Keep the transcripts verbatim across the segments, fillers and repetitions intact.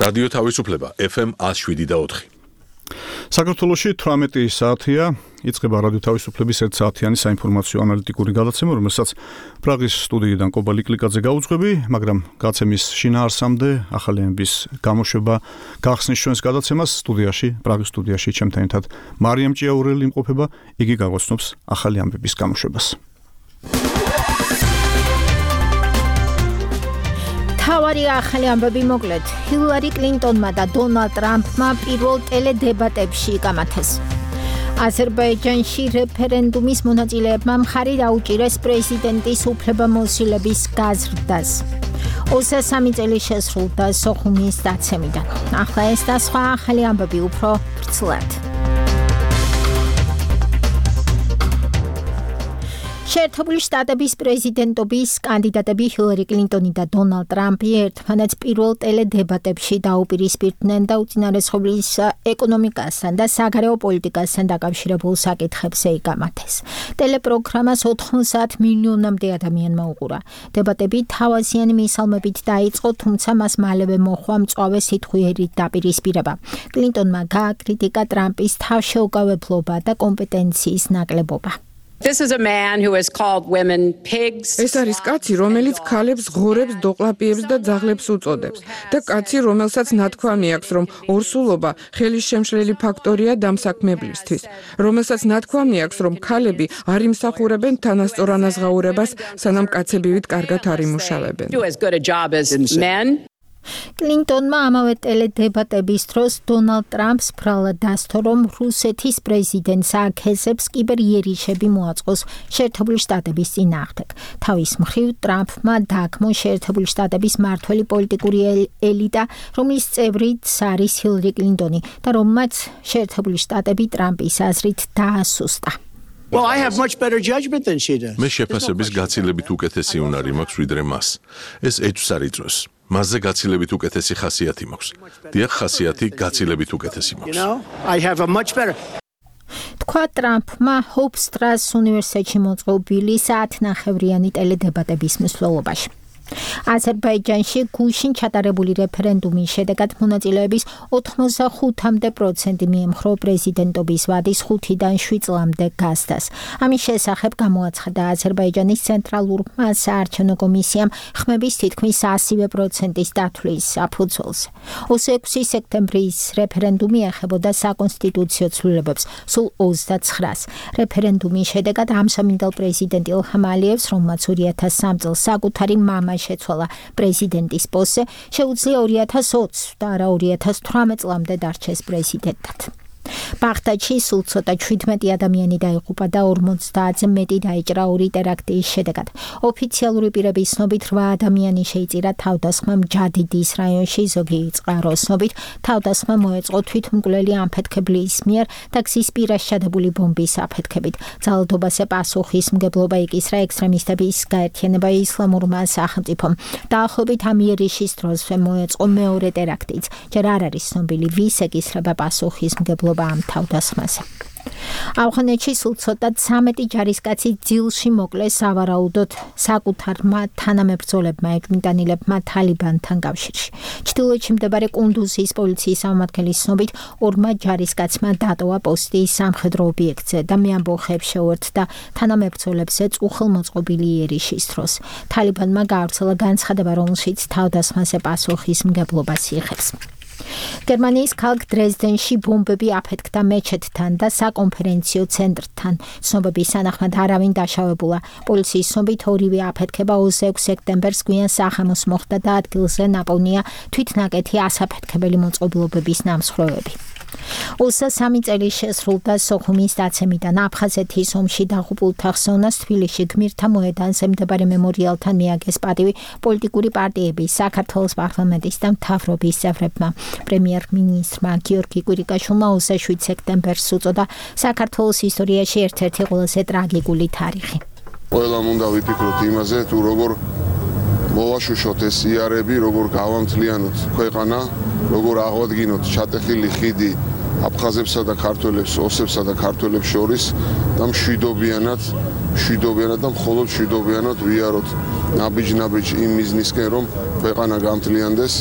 რადიო თავისუფლება ეფ ემ one oh seven და four. საქართველოში თვრამეტი საათია იწყება რადიო თავისუფლების ერთ საათიანი საინფორმაციო ანალიტიკური გადაცემა, რომელსაც პრაღის სტუდიიდან კობა ლიკლიკაძე გაუძღვები, მაგრამ გაცემის შინაარსამდე ახალი ამბის გამოშვება გახსნის ჩვენს გადაცემას სტუდიაში, პრაღის სტუდიაში ჩემთან ერთად მარიამ ჭიაურელი იმყოფება, იგი გაგოცნობს ახალი ამბების გამოშვებას. თავარი ახალი ამბები მოკლედ. ჰილარი კლინტონმა და დონალდ ტრამპმა პირველ ტელედებატებში იკამათეს. აზერბაიჯანში რეფერენდუმის მონაწილეებმა მხარი დაუჭირეს პრეზიდენტის უფლებამოსილების გაზრდას. ოცდასამი წელი შესრულდა სოხუმის დაცემიდან. ახლა ეს და სხვა ახალი ამბები უფრო ვრცლად. შეერთებული შტატების პრეზიდენტობის კანდიდატები ჰილარი კლინტონი და დონალდ ტრამპი ერთმანეთს პირველ ტელედებატებში დაუპირისპირდნენ და უწინარესობის ეკონომიკასთან და საგარეო პოლიტიკასთან დაკავშირებულ საკითხებზე იკამათეს. ტელეპროგრამას ოთხმოცდაათ მილიონამდე ადამიანმა უყურა. დებატები თავაზიანი მისალმებით დაიწყო, თუმცა მას მალევე მოჰყვა მწვავე სიტყვიერი დაპირისპირება. კლინტონმა გააკრიტიკა ტრამპის თავშეუგავებლობა და კომპეტენციის ნაკლებობა. This is a man who has called women pigs. ეს არის კაცი, რომელიც ქალებს ღორებს, დოყლაპიებს და ძაღლებს უწოდებს და კაცი, რომელსაც ნათქვამი აქვს, რომ ორსულობა ხელის შემშლელი ფაქტორია დამსაქმებლისთვის, რომელსაც ნათქვამი აქვს, რომ ქალები არ იმსახურებენ თანასწორ ანაზღაურებას, სანამ კაცები ვით კარგად არ იმუშავებენ. Do as good a job as men. კლინტონმა ამავე ტელედებატების დროს დონალდ ტრამპს ბრალად დასთო, რომ რუსეთის პრეზიდენტს აქეზებს კიბერიერიშები მოაწყოს შეერთებული შტატების წინააღმდეგ. თავის მხრივ ტრამპმა დააგმო შეერთებული შტატების მმართველი პოლიტიკური ელიტა, რომლის წევრიც არის ჰილარი კლინტონი და რომელმაც შეერთებული შტატები ტრამპის აზრით დაასუსტა. Well, I have much better judgment than she does. მე შეფასების გაცილებით უკეთესი უნარი მაქვს ვიდრე მას. ეს ეჭვს არ იწვევს. მასზე გაცილებით უკეთესი ხასიათი მაქვს. დიახ, ხასიათი გაცილებით უკეთესი You მაქვს. know, I have a much better. თქვა ტრამპმა ჰოფსტრას უნივერსიტეტში მოწყობილი საათნახევრიანი ტელედებატების მსვლელობაში. აზერბაიჯანში გუშინ ჩატარებული რეფერენდუმის შედეგად მონაწილეების ოთხმოცდახუთამდე პროცენტი მიემხრო პრეზიდენტობის ვადის ხუთიდან შვიდ წლამდე გასდას. ამის შესახებ გამოაცხადა აზერბაიჯანის ცენტრალურმა საარჩევნო კომისიამ ხმების თითქმის ასივე პროცენტის დათვლის საფუძველზე. ოცდაექვსი სექტემბრის რეფერენდუმი ეხებოდა საკონსტიტუციო ცვლილებებს, სულ ოცდაცხრას. რეფერენდუმის შედეგად ამსამინდელ პრეზიდენტ ილჰამ ალიევს, რომელმაც ორი ათას სამი წელს საკუთარი მამა შეცვალა პრეზიდენტის პოსტზე, შეუძლია ორი ათას ოცი და არა ორი ათას თვრამეტ წლამდე დარჩეს პრეზიდენტად. ბაღდადში სულ ცოტა შვიდმეტი ადამიანი დაიღუპა და ორმოცდაათზე მეტი დაიჭრა ორი ტერაქტის შედეგად. ოფიციალური პირების ცნობით რვა ადამიანი შეიწირა თავდასხმამ ჯადიდის რაიონში, ზოგი წყაროს ცნობით თავდასხმა მოეწყო თვითმკვლელი ამფეთქებლის მიერ და გზის პირას ჩადებული ბომბის აფეთქებით. ძალადობაზე პასუხისმგებლობა იკისრა ექსტრემისტების გაერთიანება ისლამურმა სახელმწიფომ. დაახლოებით ამ იერიშის დროზე მოეწყო მეორე ტერაქტიც. ჯერ არ არის ცნობილი, ვის ეკისრება პასუხისმგებლობა ამ თავდასხმაზე. ავღანეთში სულ ცოტა ცამეტი ჯარისკაცი ძილში მოკლეს სავარაუდოდ საკუთარმა თანამებრძოლებმა ეჭვმიტანილებმა თალიბანთან კავშირში. ჩრდილოეთში მდებარე კუნდუზის პოლიციის წარმომადგენლის ცნობით ორმა ჯარისკაცმა დატოვა პოსტი სამხედრო ობიექტზე და მე ამბოხებს შეუერთდა თანამებრძოლებზე უხელმოწყობილი იერიშის დროს. თალიბანმა გაავრცელა განცხადება, რომელშიც თავდასხმაზე პასუხისმგებლობას იღებს. გერმანიის ქალაქ დრეზდენში ბომბები აფეთქდა მეჩეთთან და საკონფერენციო ცენტრთან. ცნობების თანახმად არავინ დაშავებულა. პოლიციის ცნობით ორივე აფეთქება ოცდაექვსი სექტემბერს გვიან სახამოს მოხდა და ადგილზე ნაპოვნია თვითნაკეთი ასაფეთქებელი მოწყობილობების ნამსხვრევები. ოცდასამი წელი შესრულდა სოხუმის დაცემიდან. აფხაზეთის ომში დაღუპულთა ხსოვნას თბილისში გმირთა მოედანზე მდებარე მემორიალთან მიაგეს პატივი პოლიტიკური პარტიების, საქართველოს პარლამენტის და მთავრობის წევრებმა. პრემიერ-მინისტრმა გიორგი კვირიკაშვილმა ოცდაშვიდ სექტემბერს უწოდა საქართველოს ისტორიაში ერთ-ერთი ყველაზე ტრაგიკული თარიღი. ყველამ უნდა ვიფიქროთ იმაზე, თუ როგორ მოვაშუშოთ ეს იარები, როგორ გავამთლიანოთ ქვეყანა, როგორ აღვადგინოთ ჩატეხილი ხიდი აფხაზებსა და ქართველებს, ოსებსა და ქართველებს შორის და მშვიდობიანად, მშვიდობიანად და მხოლოდ მშვიდობიანად ვიაროთ ნაბიჯ-ნაბიჯ იმ მიზნისკენ, რომ ქვეყანა გამთლიანდეს.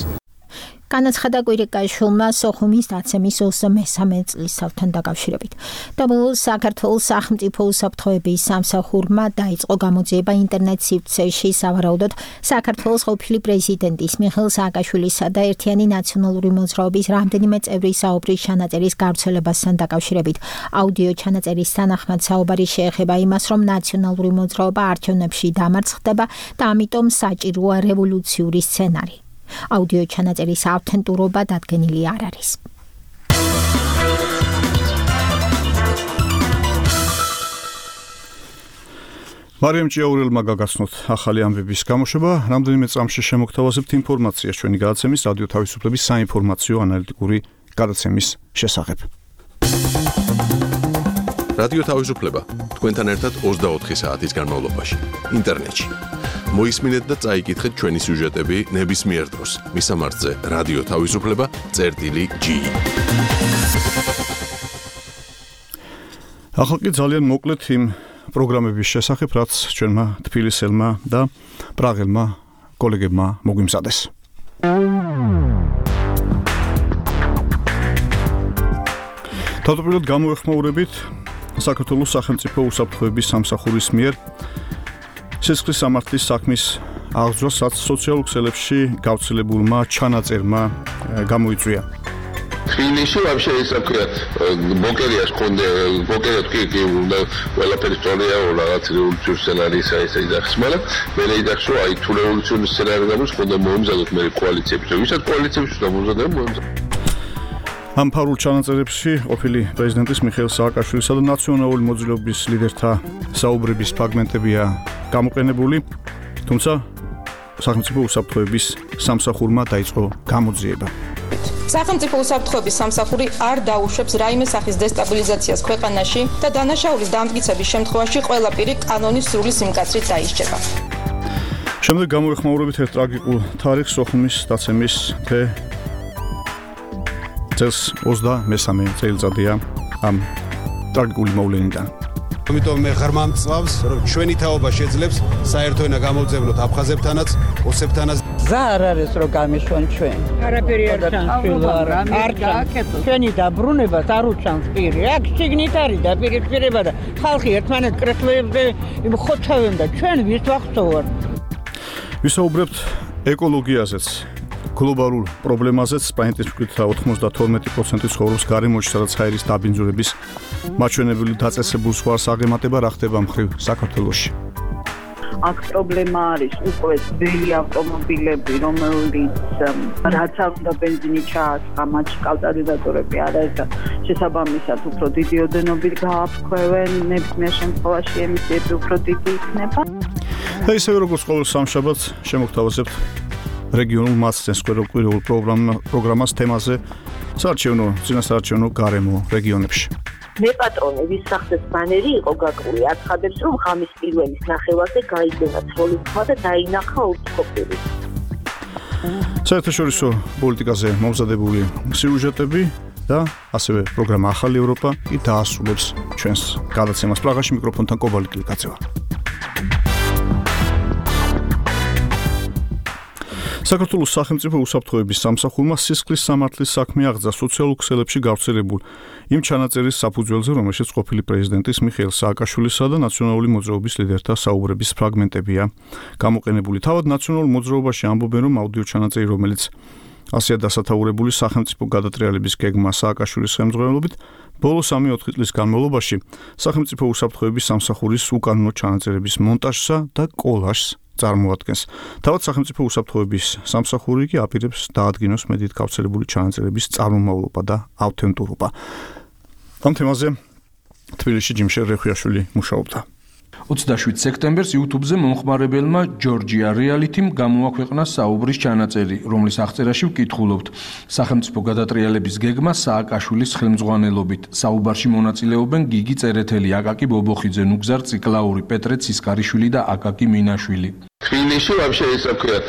განაცხადა კვირიკაშვილმა სოხუმის დაცემის ოცდამესამე წლისთავთან დაკავშირებით. და ბოლოს საქართველოს სახელმწიფო უსაფრთხოების სამსახურმა დაიწყო გამოძიება ინტერნეტ სივრცეში სავარაუდოდ საქართველოს ყოფილი პრეზიდენტის მიხეილ სააკაშვილისა და ერთიანი ნაციონალური მოძრაობის რამდენიმე წევრის საუბრის ჩანაწერის გავრცელებასთან დაკავშირებით. აუდიო ჩანაწერის თანახმად საუბარი შეეხება იმას, რომ ნაციონალური მოძრაობა არჩევნებში დამარცხდება და ამიტომ საჭიროა რევოლუციური სცენარი. აუდიო ჩანაწერის ავთენტურობა დადგენილი არ არის. მარიამ ჭიაურელმა გაგაცნოთ ახალი ამბების გამოშვება, რამდენიმე წამში შემოგთავაზებთ ინფორმაციას ჩვენი გადაცემის რადიო თავისუფლების საინფორმაციო ანალიტიკური გადაცემის შესახებ. რადიო თავისუფლება თქვენთან ერთად ოცდაოთხი საათის განმავლობაში ინტერნეტში. მოისმინეთ და წაიკითხეთ ჩვენი სიუჟეტები ნებისმიერ დროს. მისამართზე რადიო თავისუფლება წერტილი ჯი. ახლა კი ძალიან მოკლედ იმ პროგრამების შესახებ, რაც ჩვენმა თბილისელმა და პრაღელმა კოლეგებმა მოგვიმზადეს. თავდაპირველად გამოეხმაურებით საქართველოს სახელმწიფო უსაფრთხოების სამსახურის მიერ სისხლის სამართლის საქმის აღძრას, რაც სოციალურ ქსელებში გავრცელებულმა ჩანაწერმა გამოიწვია. თბილისში вообще ისე ვქია, ბოკერიას კონდე, ბოკერია თქვი კი უნდა ყველაფერი სწორია, რაღაც რევოლუციური სცენარისა ისე იძახს, მაგრამ მე იძახს, რომ აი თუ რევოლუციური სცენარი გამოდის, ხონდა მოუმზადოთ მე კოალიციებს, ვისაც კოალიციებს უნდა მომზადოთ, მოუმზადოთ. ამ ფარულ ჩანაწერებში ყოფილი პრეზიდენტის მიხეილ სააკაშვილისა და ნაციონალური მოძრაობის ლიდერთა საუბრების ფრაგმენტებია გამოყენებული, თუმცა სახელმწიფო უსაფრთხოების სამსახურმა დაიწყო გამოძიება. სახელმწიფო უსაფრთხოების სამსახური არ დაუშვებს რაიმე სახის დესტაბილიზაციას ქვეყანაში და დანაშაულის დამტკიცების შემთხვევაში ყველა პირი კანონის სრული სიმკაცრით დაისჯება. შემდეგ გამოეხმაურებით ერთ ტრაგიკულ თარიღს სოხუმის დაცემის თე წელს ოცდამესამე წელიწადია ამ ტრაგიკული მოვლენიდან. ამიტომ მე ღრმა მწვავს, რომ ჩვენი თაობა შეძლებს საერთო ენა გამოძევნოთ აფხაზებთანაც, ოსებთანაც. გზა არ არის რომ გამიშვან ჩვენ. არაფერი არ ჩანს. არ ჩანს. ჩვენი დაბრუნებას არ უჩანს პირი. აქ შიგნით არის დაპირისპირება და ხალხი ერთმანეთს კრეფლებზე ხოჩავენ და ჩვენ ვის ვახსოვართ. ვისაუბრებთ ეკოლოგიაზეც. გლობალურ პრობლემაზეც სპაინტის მკითხვა ოცდათორმეტი პროცენტი ცხოვრობს გარემოში, სადაც ჰაერის დაბინძურების მაჩვენებელი დაწესებულ ზღვარს აღემატება, რა ხდება მხრივ საქართველოში. აქ პრობლემა არის უკვე ძველი ავტომობილები, რომელიც რაც არ უნდა ბენზინი ჩააწყა, მათში კატალიზატორები არ არის და შესაბამისად უფრო დიდი ოდენობით გააფრქვევენ, ნებისმიერ შემთხვევაში ემისიები უფრო დიდი იქნება. და ისევე როგორც ყოველ სამშაბათს შემოგთავაზებთ რეგიონულ მასწავლეს კვირაულ პროგრამას თემაზე საარჩევნო, წინასაარჩევნო გარემო რეგიონებში. მე პატრონი ვის სახეს ბანერი იყო გაკრული, აცხადებს, რომ ღამის პირველის ნახევარზე გაიგონა ცროლის ხმა და დაინახა ურთიერთობები. საერთაშორისო პოლიტიკაზე მომზადებული სიუჟეტები და ასევე პროგრამა ახალი ევროპა კი დაასრულებს ჩვენს გადაცემას. პრაღაში მიკროფონთან კობალტ ლიკაცევა. საქართველოს სახელმწიფო უსაფრთხოების სამსახურმა სისხლის სამართლის საქმე აღძა სოციალურ ქსელებში გავრცელებულ იმ ჩანაწერის საფუძველზე, რომელშიც ყოფილი პრეზიდენტის მიხეილ სააკაშვილისა და ნაციონალური მოძრაობის ლიდერთა საუბრების ფრაგმენტებია გამოყენებული. თავად ნაციონალურ მოძრაობაში ამბობენ, რომ აუდიო ჩანაწერი, რომელიც ასეა დასათაურებული სახელმწიფო გადატრიალების გეგმა სააკაშვილის ხელმძღვანელობით, ბოლო სამი-ოთხი წლის განმავლობაში სახელმწიფო უსაფრთხოების სამსახურის უკანონო ჩანაწერების მონტაჟსა და კოლაჟს წარმოადგენს. თავად სახელმწიფო უსაფრთხოების სამსახური კი აპირებს დაადგინოს მედიით გავრცელებული ჩანაწერების წარმომავლობა და ავთენტურობა. ამ თემაზე თბილისში ჯიმშელ რეხვიაშვილი მუშაობდა. ოცდაშვიდ სექტემბერს YouTube-ზე მომხმარებელმა ჯორჯია რეალითიმ გამოაქვეყნა საუბრის ჩანაწერი, რომლის აღწერაში ვკითხულობთ სახელმწიფო გადატრიალების გეგმა სააკაშვილის ხელმძღვანელობით. საუბარში მონაწილეობენ გიგი წერეთელი, აკაკი ბობოხიძე, ნუგზარ ციკლაური, პეტრე ცისკარიშვილი და აკაკი მინაშვილი. თბილისში вообще ისე ვქოთ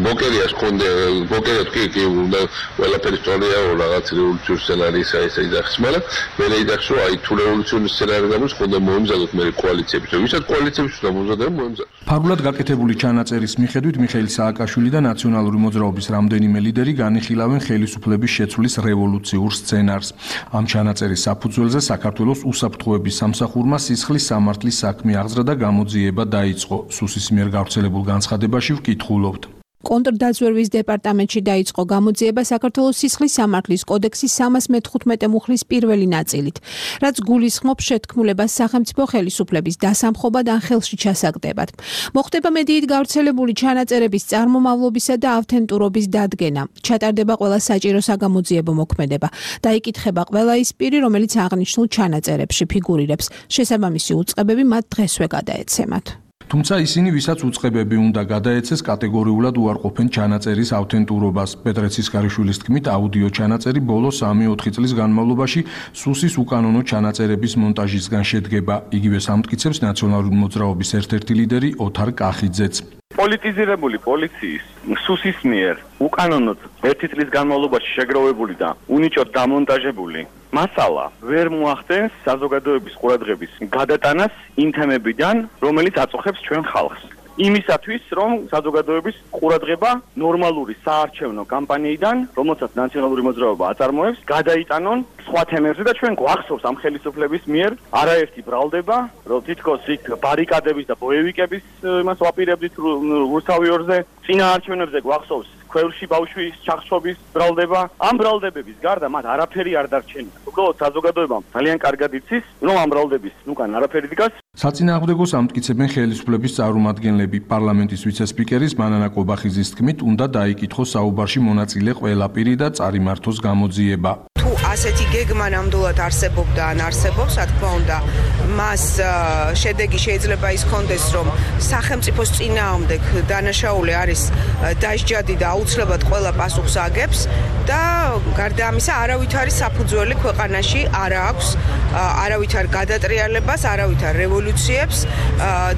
ბოკერია ხონდე ბოკერია თქვი კი უნდა ყველაფერი სწორია რაღაც რევოლუციური სცენარი ისე ისე იძახს მაგრამ მე ნეიდახსო აი თუ რევოლუციური სცენარი გამოდის ხონდა მოემზადოთ მე კოალიციების ვისაც კოალიციების უნდა მომზადოთ მოემზადოთ ფარულად გაკეთებული ჩანაწერის მიხედვით მიხეილ სააკაშვილი და ნაციონალური მოძრაობის რამდენიმე ლიდერი განიხილავენ ხელისუფლების შეცვლის რევოლუციურ სცენარს ამ ჩანაწერის საფუძველზე საქართველოს უსაფრთხოების სამსახურმა სისხლის სამართლის საქმე აღზრდა და გამოძიება დაიწყო სუსის მიერ გავრცელებულ განცხადებაში ვკითხულობთ კონტრდაზვერვის დეპარტამენტში დაიწყო გამოძიება საქართველოს სისხლის სამართლის კოდექსის სამას მეთხუთმეტე მუხლის პირველი ნაწილით, რაც გულისხმობს შეთქმულებას სახელმწიფო ხელისუფლების დასამხობად ან ხელში ჩასაგდებად. მოხდება მედიით გავრცელებული ჩანაწერების წარმომავლობისა და ავთენტურობის დადგენა. ჩატარდება ყველა საჭირო საგამოძიებო მოქმედება. დაიკითხება ყველა ის პირი, რომელიც აღნიშნულ ჩანაწერებში ფიგურირებს. შესაბამისი უწყებები მათ დღესვე გადაეცემათ. თუმცა ისინი, ვისაც უწყებები უნდა გადაეცეს, კატეგორიულად უარყოფენ ჩანაწერის ავთენტურობას. პეტრე ცისქარიშვილის თქმით, აუდიო ჩანაწერი ბოლო სამი-ოთხი წლის განმავლობაში სუსის უკანონო ჩანაწერების მონტაჟისგან შედგება. იგივე სამტკიცებს ნაციონალური მოძრაობის ერთ-ერთი ლიდერი ოთარ კახიძეც. პოლიტიზირებული პოლიციის სუსის მიერ უკანონოდ ერთი წლის განმავლობაში შეგროვებული და უნიჭოდ დამონტაჟებული მასალა ვერ მოახდენს საზოგადოების ყურადღების გადატანას იმ თემებიდან, რომელიც აწუხებს ჩვენ ხალხს. იმისათვის, რომ საზოგადოების ყურადღება ნორმალური საარჩევნო კამპანიიდან, რომელსაც ნაციონალური მოძრაობა აწარმოებს, გადაიტანონ სხვა თემებზე და ჩვენ გვახსოვს ამ ხელისუფლების მიერ არაერთი ბრალდება, რომ თითქოს იქ ბარიკადების და ბოევიკების იმას ვაპირებდით რუსთავიორზე, წინა არჩევნებზე გვახსოვს ქვევრში ბავშვის ჩახშობის ბრალდება. ამ ბრალდებების გარდა მათ არაფერი არ დარჩენია. უბრალოდ საზოგადოებამ ძალიან კარგად იცის, რომ ამ ბრალდების უკან არაფერი დგას. საწინააღმდეგოს ამტკიცებენ ხელისუფლების წარმომადგენლები. პარლამენტის ვიცე-სპიკერის მანანა კობახიძის თქმით, უნდა დაიკითხოს საუბარში მონაწილე ყველა პირი და წარიმართოს გამოძიება. თუ ასეთი გეგმა ნამდვილად არსებობდა ან არსებობს, რა თქმა უნდა, მას შედეგი შეიძლება ის კონდეს, რომ სახელმწიფოს წინააღმდეგ დანაშაული არის დასჯადი და აუცილებლად ყველა პასუხს აგებს და გარდა ამისა არავით არის საფუძველი ქვეყანაში არ აქვს, არავით არ გადატრიალებას, არავით არ რევოლუციებს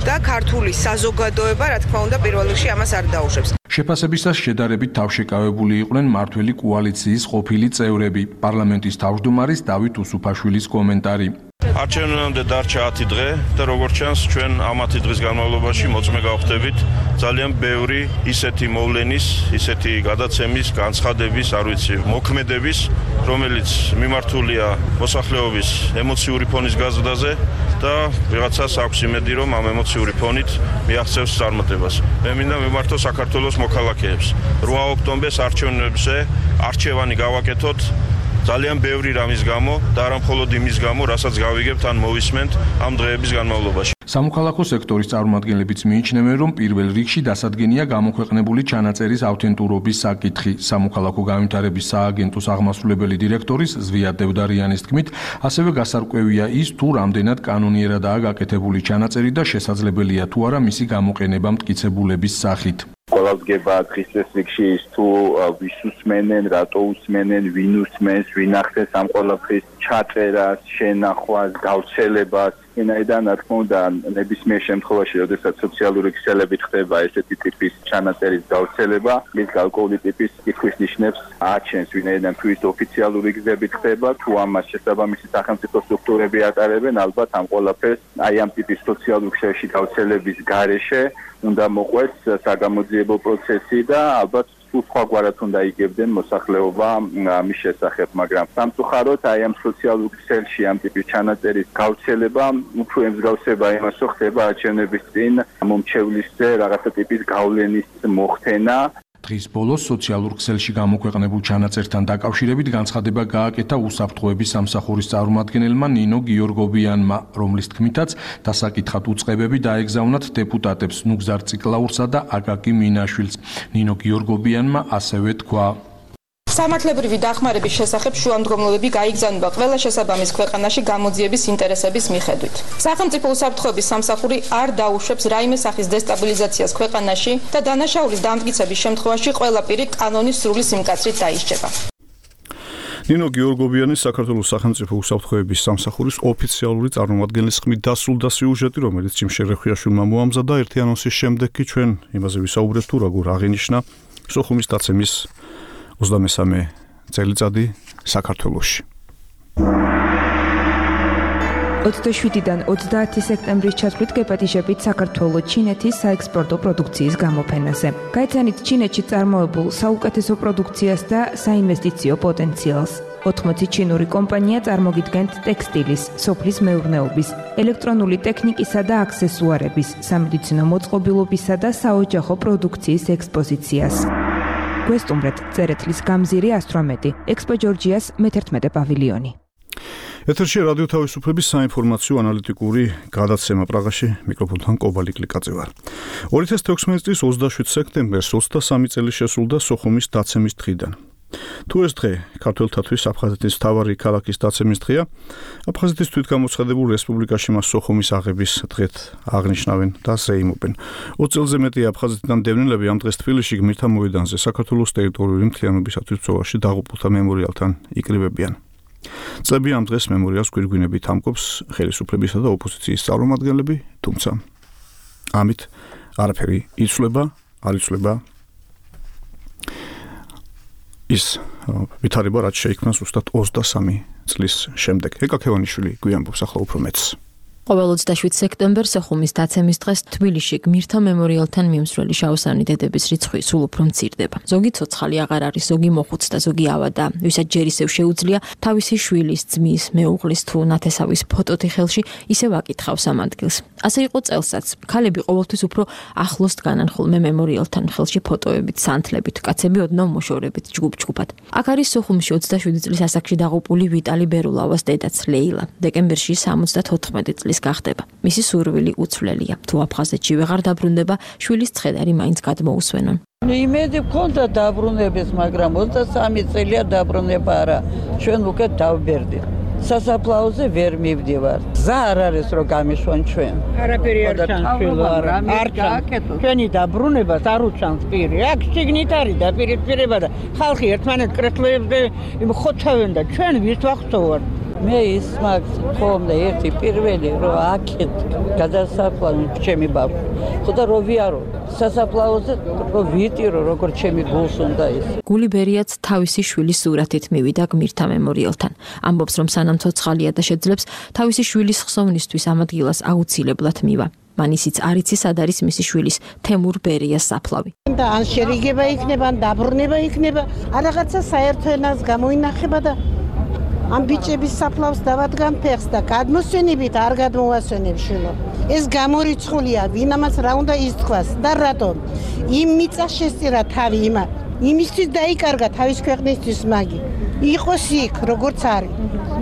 და ქართული საზოგადოება, რა თქმა უნდა, პირველ რიგში ამას არ დაუშვებს. შეფასებისას შედარებით თავშეკავებული იყვნენ მართველი კოალიციის ყოფილი წევრები. პარლამენტის თავმჯდომარის დავით უსუფაშვილის კომენტარი. არჩევნამდე დარჩა ათი დღე და როგორც ჩანს ჩვენ ამ ათი დღის განმავლობაში მოწმე გავხდებით ძალიან ბევრი ისეთი მოვლენის, ისეთი გადაცემის, განცხადების, არ ვიცი, მოქმედების, რომელიც მიმართულია მოსახლეობის ემოციური ფონის გაზრდაზე და ვიღაცას აქვს იმედი, რომ ამ ემოციური ფონით მიაღწევს წარმატებას. მე მინდა მიმართო საქართველოს მოქალაქეებს. რვა ოქტომბერს არჩევნებზე არჩევანი გავაკეთოთ ძალიან ბევრი რამის გამო და არა მხოლოდ იმის გამო, რასაც გავიგებთ ან მოვისმენთ ამ დღეების განმავლობაში. სამოქალაქო სექტორის წარმომადგენლებიც მიიჩნევენ, რომ პირველ რიგში დასადგენია გამოქვეყნებული ჩანაწერის ავთენტურობის საკითხი. სამოქალაქო განვითარების სააგენტოს აღმასრულებელი დირექტორის ზვია დევდარიანის თქმით, ასევე გასარკვევია ის, თუ რამდენად კანონიერადაა გაკეთებული ჩანაწერი და შესაძლებელია თუ არა მისი გამოყენება მტკიცებულების სახით. ყველას გება დღის წესრიგში ის თუ ვის უსმენენ, რატო უსმენენ, ვინ უსმენს, ვინ ახდენს ამ ყველაფრის ჩაწერას, შენახვას, გავრცელებას. ვინაიდან რა თქმა უნდა ნებისმიერ შემთხვევაში, როდესაც სოციალური ქსელებით ხდება ესეთი ტიპის ჩანაწერის გავრცელება, მის გარკვეული ტიპის კითხვის ნიშნებს აჩენს, ვინაიდან თუ ის ოფიციალური გზებით ხდება, თუ ამას შესაბამისი სახელმწიფო სტრუქტურები ატარებენ, ალბათ ამ ყველაფერს აი ამ ტიპის სოციალურ ქსელში გავრცელების გარეშე უნდა მოყვეს საგამოძიებო პროცესი და ალბათ სხვაგვარად უნდა იგებდნენ მოსახლეობა ამის შესახებ, მაგრამ სამწუხაროდ აი ამ სოციალურ ქსელში ამ ტიპის ჩანაწერის გავრცელება უფრო ემსგავსება იმას, რომ ხდება არჩევნების წინ მომჩევლისზე რაღაცა ტიპის გავლენის მოხდენა. დღის ბოლოს სოციალურ ქსელში გამოქვეყნებულ ჩანაწერთან დაკავშირებით განცხადება გააკეთა უსაფრთხოების სამსახურის წარმომადგენელმა ნინო გიორგობიანმა, რომლის თქმითაც დასაკითხად უწყებები დაეგზავნათ დეპუტატებს ნუგზარ ციკლაურსა და აკაკი მინაშვილს. ნინო გიორგობიანმა ასევე თქვა: სამართლებრივი დახმარების შესახებ შუამდგომლობები გაიგზავნება ყველა შესაბამის ქვეყანაში გამოძიების ინტერესების მიხედვით. სახელმწიფო უსაფრთხოების სამსახური არ დაუშვებს რაიმე სახის დესტაბილიზაციას ქვეყანაში და დანაშაულის დამტკიცების შემთხვევაში ყველა პირი კანონის სრული სიმკაცრით დაისჯება. ნინო გიორგობიანის საქართველოს სახელმწიფო უსაფრთხოების სამსახურის ოფიციალური წარმომადგენლის ხმით დასრულდა სიუჟეტი, რომელიც ჯიმ შერეხვიაშვილმა მოამზადა ერთი ანონსის შემდეგ კი ჩვენ იმაზე ვისაუბრებთ თუ როგორ აღინიშნა სოხუმის დაცემის ოცდამესამე წელიწადი საქართველოში. ოცდაშვიდიდან ოცდაათი სექტემბრის ჩათვლით გეპატიჟებით საქართველოს ჩინეთის საექსპორტო პროდუქციის გამოფენაზე. გაიცანით ჩინეთში წარმოებულ საუკეთესო პროდუქციას და საინვესტიციო პოტენციალს. ოთხმოცი ჩინური კომპანია წარმოგიდგენთ ტექსტილის, სოფლის მეურნეობის, ელექტრონული ტექნიკისა და აქსესუარების, სამედიცინო მოწყობილობისა და საოჯახო პროდუქციის ექსპოზიციას. გვესტუმრეთ წერეთლის გამზირი ასტრომეტი, ექსპო ჯორჯიას მეთერთმეტე პავილიონი. ეთერში რადიო თავისუფლების საინფორმაციო ანალიტიკური გადაცემა პრაღაში, მიკროფონთან კობალი კლიკაძე ვარ. ორი ათას თექვსმეტი წლის ოცდაშვიდ სექტემბერს ოცდასამი წელი შესრულდა სოხუმის დაცემის დღიდან. თუ ეს დღე ქართველთათვის აფხაზეთის მთავარი ქალაქის დაცემის დღეა, აფხაზეთის თვითგამოცხადებულ რესპუბლიკაში მას სოხუმის აღების დღედ აღნიშნავენ და ზეიმობენ. ოცი წელზე მეტი აფხაზეთიდან დევნილები ამ დღეს თბილისში გმირთა მოედანზე საქართველოს ტერიტორიული მთლიანობისათვის ბრძოლაში დაღუპულთა მემორიალთან იკრიბებიან. წლები ამ დღეს მემორიალს გვირგვინებით ამკობს ხელისუფლებისა და ოპოზიციის წარმომადგენლები, თუმცა ამით არაფერი იცვლება, არ იცვლება ის ვითარება, რაც შეიქმნა ზუსტად ოცდასამი წლის შემდეგ. ეკა ქევანიშვილი გვიამბობს ახლა უფრო მეტს. ყოველ ოცდაშვიდ სექტემბერს სოხუმის დაცემის დღეს თბილისში გმირთა მემორიალთან მიმსვლელი შავსანი დედების რიცხვი სულ უფრო მცირდება. ზოგი ცოცხალი აღარ არის, ზოგი მოხუც და ზოგი ავადა. ვისაც ჯერ ისევ შეუძლია თავისი შვილის, ძმის, მეუღლის თუ ნათესავის ფოტოთი ხელში ისევ აკითხავს ამ ადგილს. ასე იყო წელსაც. ქალები ყოველთვის უფრო ახლოს დგანან ხოლმე მემორიალთან, ხელში ფოტოებით, სანთლებით, კაცები ოდნავ მოშორებით ჯგუფ-ჯგუფად. აქ არის სოხუმში ოცდაშვიდი წლის ასაკში დაღუპული ვიტალი ბერულავას დედაც ლეილა. დეკემბერში სამოცდათოთხმეტი წლის გახდება. მისი სურვილი უცვლელია. თუ აფხაზეთში ვეღარ დაბრუნდება, შვილის ცხედარი მაინც გადმოუსვენონ. იმედი მქონდა დაბრუნების, მაგრამ ოცდასამი წელია დაბრუნება არა. ჩვენ უკეთ დავბერდით. სასაფლაოზე ვერ მივდივარ. გზა არ არის რომ გამიშვან ჩვენ. არაფერი არ ჩანს შვილო, არ ჩანს. ჩვენი დაბრუნებას არ უჩანს პირი. აქ შიგნით არის დაპირისპირება და ხალხი ერთმანეთს კრეფლებს და ხოცავენ და ჩვენ ვის ვახსოვარ. მე ის მაგ ხომდა ერთი პირველი რომ აქეთ გადასაფლავი ჩემი ბავშვი. ხოდა რო ვიარო სასაფლაოზე რომ ვიტირო როგორ ჩემი გულს უნდა ის. გული ბერიაც თავისი შვილის სურათით მივიდა გმირთა მემორიალთან. ამბობს რომ სანამ ცოცხალია და შეძლებს თავისი შვილის ხსოვნისთვის ამ ადგილას აუცილებლად მივა. მან ისიც არ იცის სად არის მისი შვილის თემურ ბერიას საფლავი. და ან შერიგება იქნება, ან დაბრუნება იქნება, ან რაღაცა საერთო ენას გამოინახება და ამ ბიჭების საფლავს დავადგან ფეხს და გადმოსვენებით არ გადმოვასვენებ შვილო. ეს გამორიცხულია, ვინამაც რა უნდა ისთქვას და რატომ? იმ მიწას შესწირა თავი იმა. იმისთვის დაიკარგა თავის ქვეყნისთვის მაგი. იყოს იქ, როგორც არის.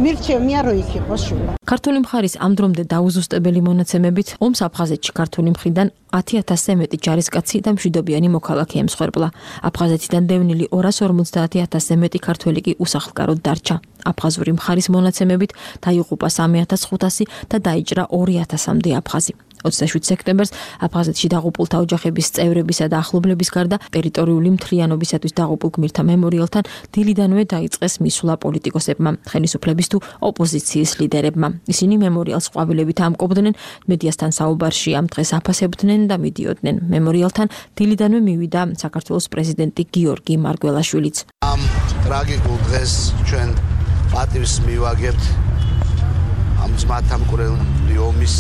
მირჩევნია რომ იქ იყოს შვილო. ქართული მხარის ამ დრომდე დაუზუსტებელი მონაცემებით ომს აფხაზეთში ქართული მხრიდან ათი ათასზე მეტი ჯარისკაცი და მშვიდობიანი მოქალაქე ემსხვერპლა. აფხაზეთიდან დევნილი ორას ორმოცდაათი ათასზე მეტი ქართველი კი უსახლკაროდ დარჩა. აფხაზური მხარის მონაცემებით დაიღუპა სამი ათას ხუთასი და დაიჭრა ორი ათასამდე აფხაზი. ოცდაშვიდ სექტემბერს აფხაზეთში დაღუპულთა ოჯახების წევრებისა და ახლობლების გარდა ტერიტორიული მთლიანობისათვის დაღუპულ გმირთა მემორიალთან დილიდანვე დაიწყეს მისვლა პოლიტიკოსებმა, ხელისუფლების თუ ოპოზიციის ლიდერებმა. ისინი მემორიალს ყვავილებით ამკობდნენ, მედიასთან საუბარში ამ დღეს აფასებდნენ და მიდიოდნენ. მემორიალთან დილიდანვე მივიდა საქართველოს პრეზიდენტი გიორგი მარგველაშვილიც. ამ ტრაგიკულ დღეს ჩვენ პატივს მივაგებთ ამ ძმათა მკვლელი ომის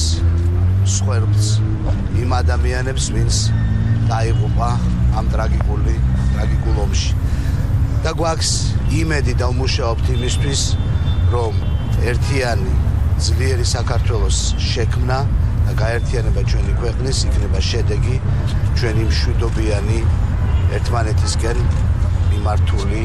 მსხვერპლს, იმ ადამიანებს, ვინც დაიღუპა ამ ტრაგიკული ტრაგიკულ ომში. და გვაქვს იმედი და ვმუშაობთ იმისთვის, რომ ერთიანი ძლიერი საქართველოს შექმნა და გაერთიანება ჩვენი ქვეყნის იქნება შედეგი ჩვენი მშვიდობიანი ერთმანეთისკენ მიმართული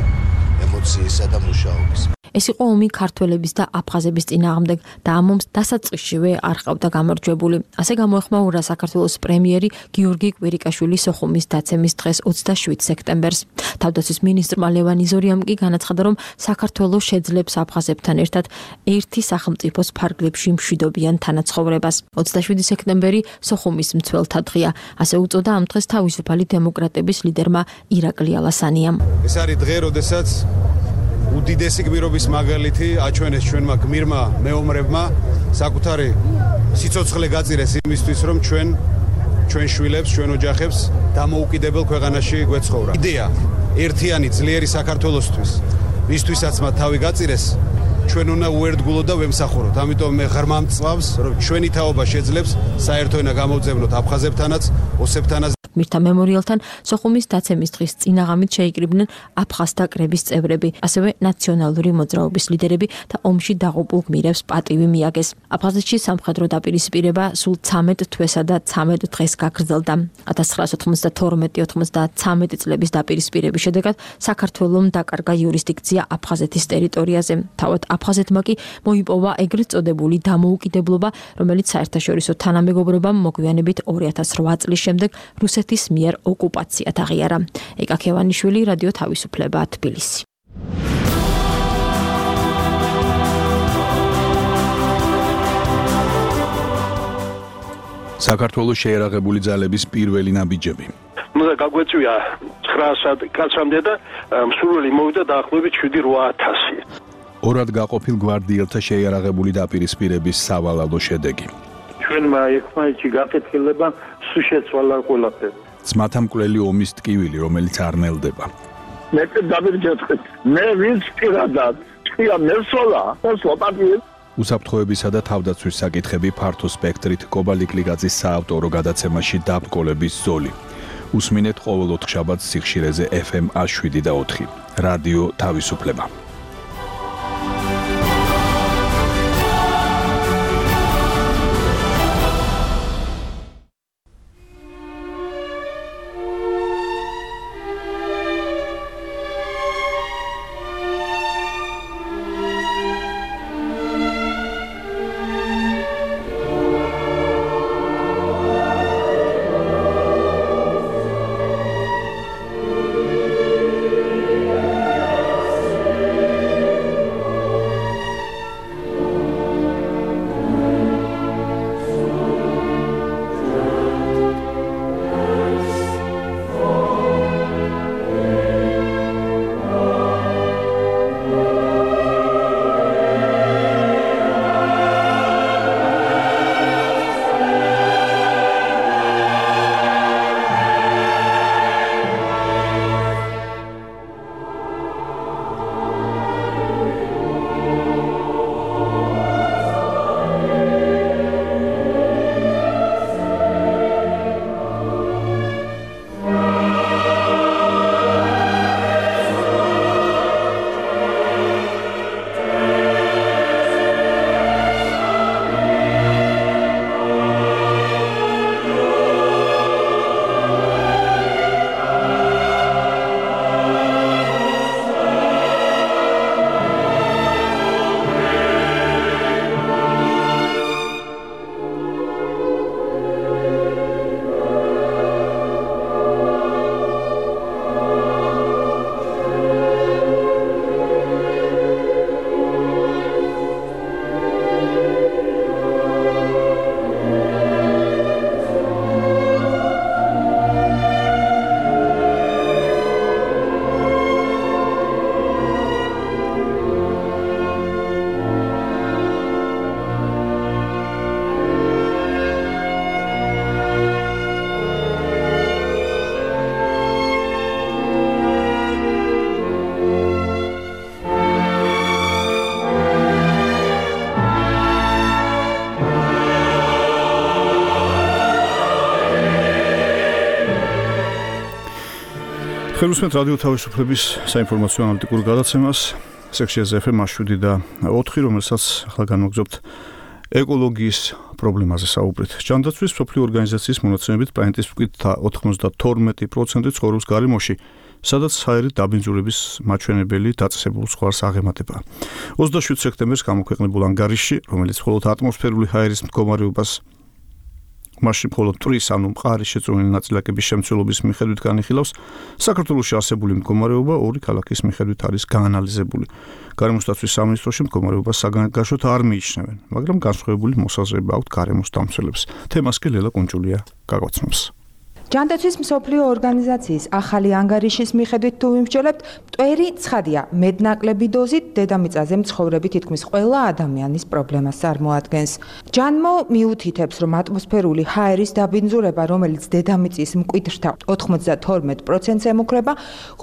ემოციისა და მუშაობის. ეს იყო ომი ქართველების და აფხაზების წინააღმდეგ და ამ ომს დასაწყისშივე არ ყავდა გამარჯვებული. ასე გამოეხმაურა საქართველოს პრემიერი გიორგი კვირიკაშვილი სოხუმის დაცემის დღეს ოცდაშვიდ სექტემბერს. თავდაცვის მინისტრმა ლევან იზორიამ კი განაცხადა, რომ საქართველოს შეძლებს აფხაზებთან ერთად ერთი სახელმწიფოს ფარგლებში მშვიდობიან თანაცხოვრებას. ოცდაშვიდი სექტემბერი სოხუმის მცველთა დღეა. ასე უწოდა ამ დღეს თავისუფალი დემოკრატების ლიდერმა ირაკლი ალასანიამ. ეს არის დღე, როდესაც უდიდესი გმირობის მაგალითი აჩვენეს ჩვენმა გმირმა მეომრებმა საკუთარი სიცოცხლე გაწირეს იმისთვის, რომ ჩვენ ჩვენ შვილებს, ჩვენ ოჯახებს დამოუკიდებელ ქვეყანაში გვეცხოვრა. იდეა ერთიანი ძლიერი საქართველოსთვის, ვისთვისაც მათ თავი გაწირეს, ჩვენ უნდა უერთგულოთ და ვემსახუროთ. ამიტომ მე ღრმა მწვავს, რომ ჩვენი თაობა შეძლებს საერთო ენა გამოვძებნოთ აფხაზებთანაც, ოსებთანაც. მირთა მემორიალთან სოხუმის დაცემის დღის წინაღამით შეიკრიბნენ აფხაზთა კრების წევრები, ასევე ნაციონალური მოძრაობის ლიდერები და ომში დაღუპულ გმირებს პატივი მიაგეს. აფხაზეთში სამხედრო დაპირისპირება სულ ცამეტ თვესა და ცამეტ დღეს გაგრძელდა. ათას ცხრაასი ოცდათორმეტი ოცდათვრამეტი წლების დაპირისპირების შედეგად საქართველომ დაკარგა იურისდიქცია აფხაზეთის ტერიტორიაზე. თავად აფხაზეთმა კი მოიპოვა ეგრეთ წოდებული დამოუკიდებლობა, რომელიც საერთაშორისო თანამეგობრობამ მოგვიანებით ორი ათას რვა წლის შემდეგ რუსეთის მიერ ოკუპაციად აღიარა. ეკა ქევანიშვილი, რადიო თავისუფლება, თბილისი. საქართველოს შეერაღებული ძალების პირველი ნაბიჯები. უნდა გაგვეწვია ცხრაასად კაცამდე და მსურველი მოვიდა დაახლოებით შვიდი რვა ათასი. ორად გაყოფილ გვარდიელთა შეიარაღებული დაპირისპირების სავალალო შედეგი. ჩვენმა ერთმანეთში გაკეთილება სულ შეცვალა ყველაფერი. ძმათა მკვლელი ომის ტკივილი, რომელიც არ ნელდება. მე დავირჯეთხეთ. მე ვინც პირადად ჭია მესოლა, მოსლოპატი. უსაფრთხოებისა და თავდაცვის საკითხები ფართო სპექტრით კობალიკლიგაძის საავტორო გადაცემაში დაბრკოლების ზოლი. უსმინეთ ყოველ ოთხშაბათს სიხშირეზე ეფ ემ შვიდი და ოთხი. რადიო თავისუფლება. ხელმისმენთ რადიო თავისუფლების საინფორმაციო ანალიტიკურ გადაცემას სექციაზე ეფ ემ შვიდი და ოთხი, რომელსაც ახლა განვაგრძობთ ეკოლოგიის პრობლემაზე საუბრით. ჯანდაცვის მსოფლიო ორგანიზაციის მონაცემებით პლანეტის მკვიდრ ოთხმოცდათორმეტი პროცენტი ცხოვრობს გარემოში, სადაც ჰაერის დაბინძურების მაჩვენებელი დაწესებულ ზღვარს აღემატება. ოცდაშვიდ სექტემბერს გამოქვეყნებულ ანგარიშში, რომელიც მხოლოდ ატმოსფერული ჰაერის მდგომარეობას მაშინ მხოლოდ ტვრის ანუ მყარი შეწყვეტილი ნაწილაკების შემცველობის მიხედვით განიხილავს, საქართველოში არსებული მდგომარეობა ორი ქალაქის მიხედვით არის გაანალიზებული. გარემოსდაცვის სამინისტროში მდგომარეობას საგანგაშოდ არ მიიჩნევენ, მაგრამ განსხვავებული მოსაზრება აქვთ გარემოს დამცველებს. თემას კი ლელა კუნჭულია გაგვაცნობს. ჯანდაცვის მსოფლიო ორგანიზაციის ახალი ანგარიშის მიხედვით თუ ვიმსჯელებთ, მტვერი ცხადია, მეტნაკლები დოზით დედამიწაზე მცხოვრები თითქმის ყველა ადამიანის პრობლემას წარმოადგენს. ჯანმო მიუთითებს, რომ ატმოსფერული ჰაერის დაბინძურება, რომელიც დედამიწის მკვიდრთა ოთხმოცდათორმეტ პროცენტს ემუქრება,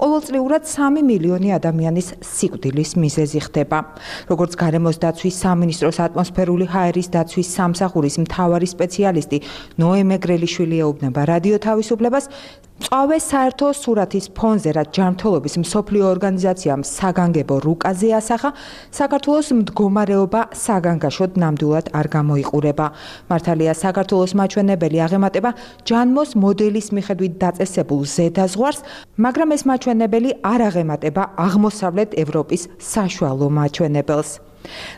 ყოველწლიურად სამი მილიონი ადამიანის სიკვდილის მიზეზი ხდება. როგორც გარემოს დაცვის სამინისტროს ატმოსფერული ჰაერის დაცვის სამსახურის მთავარი სპეციალისტი ნოე მეგრელიშვილი ეუბნება რადიო თავისუფლებას, მწვავე საერთო სურათის ფონზე, რაც ჯანმრთელობის მსოფლიო ორგანიზაციამ საგანგებო რუკაზე ასახა, საქართველოს მდგომარეობა საგანგაშოდ ნამდვილად არ გამოიყურება. მართალია, საქართველოს მაჩვენებელი აღემატება ჯანმოს მოდელის მიხედვით დაწესებულ ზედაზღვარს, მაგრამ ეს მაჩვენებელი არ აღემატება აღმოსავლეთ ევროპის საშუალო მაჩვენებელს.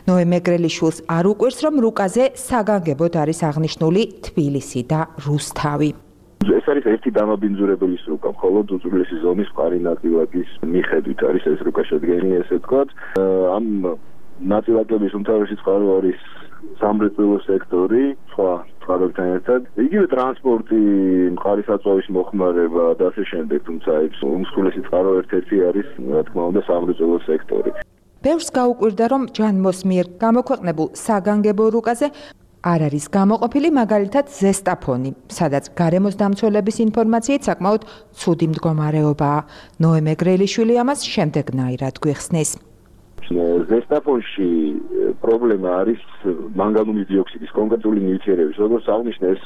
ნოე მეგრელიშვილს არ უყვირს, რომ რუკაზე საგანგებოდ არის აღნიშნული თბილისი და რუსთავი. ეს არის ერთი დამაბინძურებელის რუკა, მხოლოდ უძველესი ზომის მყარი ნაწილაკის მიხედვით არის ეს რუკა შედგენილი, ესე ვთქვათ. ამ ნაწილაკების უმთავრესი წყარო არის სამრეწველო სექტორი, სხვა წყაროებთან ერთად. იგივე ტრანსპორტი, მყარი საწვავის მოხმარება და ასე შემდეგ, თუმცა უმსხვილესი წყარო ერთ-ერთი არის, რა თქმა უნდა, სამრეწველო სექტორი. ბევრს გაუკვირდა, რომ ჯანმოს მიერ გამოქვეყნებულ საგანგებო რუკაზე არ არის გამოყოფილი მაგალითად ზესტაფონი, სადაც გარემოს დამცველების ინფორმაციით საკმაოდ ცუდი მდგომარეობაა. ნოე მეგრელიშვილი ამას შემდეგნაირად გვიხსნის. ზესტაფონში პრობლემა არის მანგანუმის დიოქსიდის კონკრეტული ნივთიერების, როგორც აღნიშნე, ეს